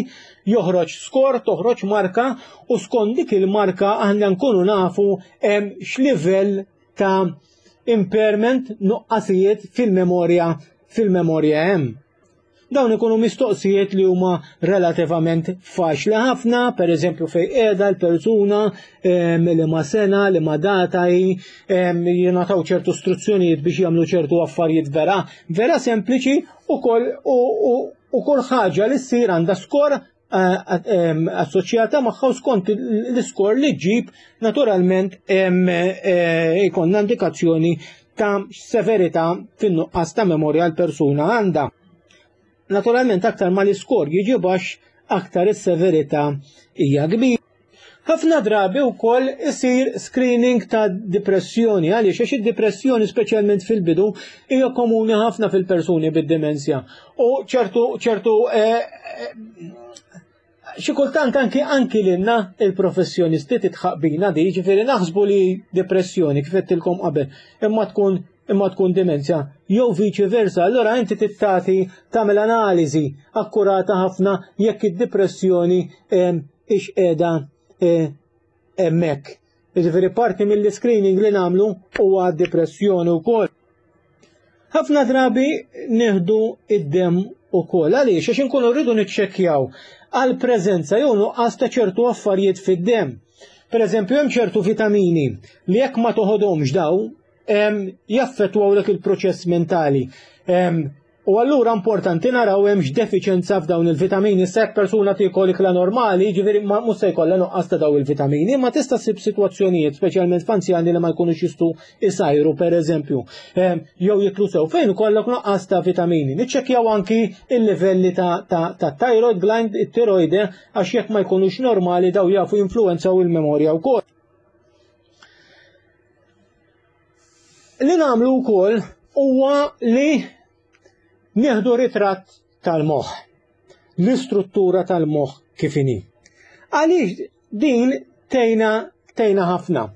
joħroġ skor, toħroġ marka u skont dik il-marka aħna nkunu nafu x'livell ta' impairment, nuqqasijiet fil-memorja fil-memorja hemm. Dawn ikunu mistoqsijiet li huma relativament faċli ħafna, per eżempju fejn qiegħda l-persuna, li ma sena, li ma data hi, jingħataw ċertu istruzzjonijiet biex jagħmlu ċertu affarijiet vera, vera sempliċi u kol u kull ħaġa li ssir għandha skor assoċjata magħha u skont l-iskor li ġġib naturalment jkollna indikazzjoni ta' severità fin-nuqqas ta' memorja l-persuna għandha. Naturalment aktar ma l-iskor jiġi baxx, aktar is-severità hija kbira. Ħafna drabi wkoll isir screening ta' depressjoni, għaliex għax id-depressjoni speċjalment fil-bidu hija komuni ħafna fil-persuni bid-demenzja. U ċertu ċertu xi kultant anki anki lilna il-professjonisti titħaq bina di, ġifieri naħsbu li depressjoni kif għedtilkom qabel, imma tkun imma tkun demenzja, jew viċi versa, allora inti tittati tagħmel analiżi akkurata ħafna jekk id-depressjoni ix qiegħda hemmhekk. Jiġifieri parti mill-screening li nagħmlu huwa depressjoni wkoll. Ħafna drabi nieħdu id-demm ukoll. Għaliex? Għax inkunu rridu niċċekkjaw għal preżenza jew nuqqas ta' ċertu affarijiet fid-demm. Per eżempju, hemm ċertu vitamini li jekk ma toħodhomx daw jaffettwawlek il-proċess mentali. U allura importanti naraw hemmx defiċenza f'dawn il-vitamini. Se jekk persuna tiekol ikla normali, jiġifieri mhux se jkollha nuqqas ta' dawn il-vitamini, ma tista' ssib sitwazzjonijiet, speċjalment f'anzjani li ma jkunux jistgħu isajru pereżempju, jew jiklu sew fejn ikollok nuqqas ta' vitamini. Niċċekkjaw anki il-livelli ta' ta' thyroid gland, it-tiroide, għax jekk ma jkunux normali daw jafu jinfluwenzaw il-memorja wkoll. Li nagħmlu wkoll huwa li nieħdu ritratt tal-moħħ, l-istruttura tal-moħħ kif inhi. Għaliex din tgħinna tgħinna ħafna.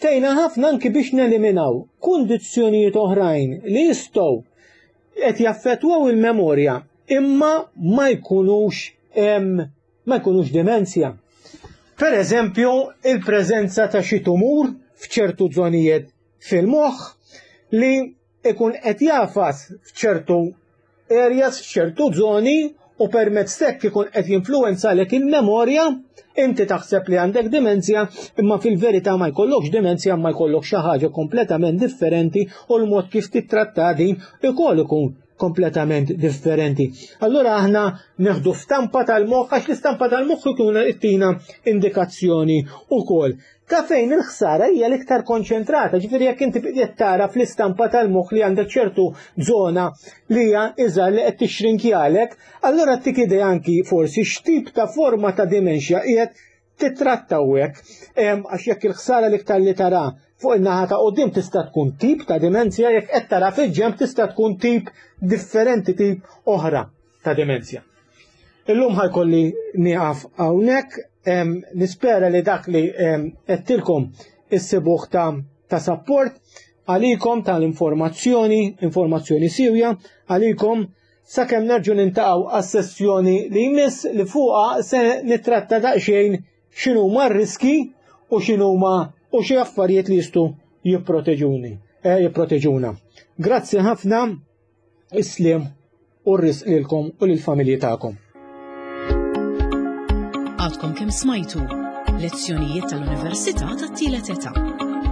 Tgħinna ħafna anki biex neliminaw kundizzjonijiet oħrajn li jistgħu qed jaffettwaw il-memorja imma ma jkunux ma jkunux demenzja. Per eżempju, il-preżenza ta' xi tumur f'ċertu żonijiet fil-moħħ li ikun qed jafas f'ċertu areas, f'ċertu żoni, u permezz t'hekk ikun qed jinfluwenzalek il-memorja, inti taħseb li għandek demenzja, imma fil-verità ma jkollokx demenzja, ma jkollok xi ħaġa kompletament differenti u l-mod kif titratta din ukoll ikun kompletament differenti. Allura aħna neħdu stampa tal-moħħ, għax l-istampa tal-moħħ ikun ittina indikazzjoni ukoll ta' fejn il-ħsara hija l-iktar konċentrata. Ġifieri jekk inti qed tara fl-istampa tal-moħħ li għandek ċertu żona li hija iżgħar li qed tixrinkjalek, allura tik idea anki forsi x'tip ta' forma ta' demenzja qiegħed titratta hawnhekk, għax jekk il-ħsara l-iktar li tara fuq in-naħa ta' quddiem tista' tkun tip ta' demenzja, jekk qed tara fil-ġenb tista' tkun tip differenti, tip oħra ta' demenzja. Illum ħajkolli nieqaf hawnhekk, nispera li dak li għedtilkom issibuh ta' ta' support għalikom tal-informazzjoni, informazzjoni siwja għalikom, sakemm nerġgħu nintaqgħu għas-sessjoni li jmiss li fuqha se nittratta daqsxejn x'inhuma r-riski u x'inhuma u xi affarijiet li jistgħu jipproteġuni, eh, jipproteġuna. Grazzi ħafna, is-sliem u r-risq lilkom u lill-familji tagħkom. Għadkom kemm smajtu lezzjonijiet tal-Università tat-Tielet Età.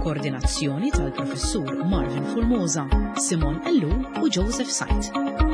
Koordinazzjoni tal-Professur Marvin Formosa, Simon Ellul u Joseph Said.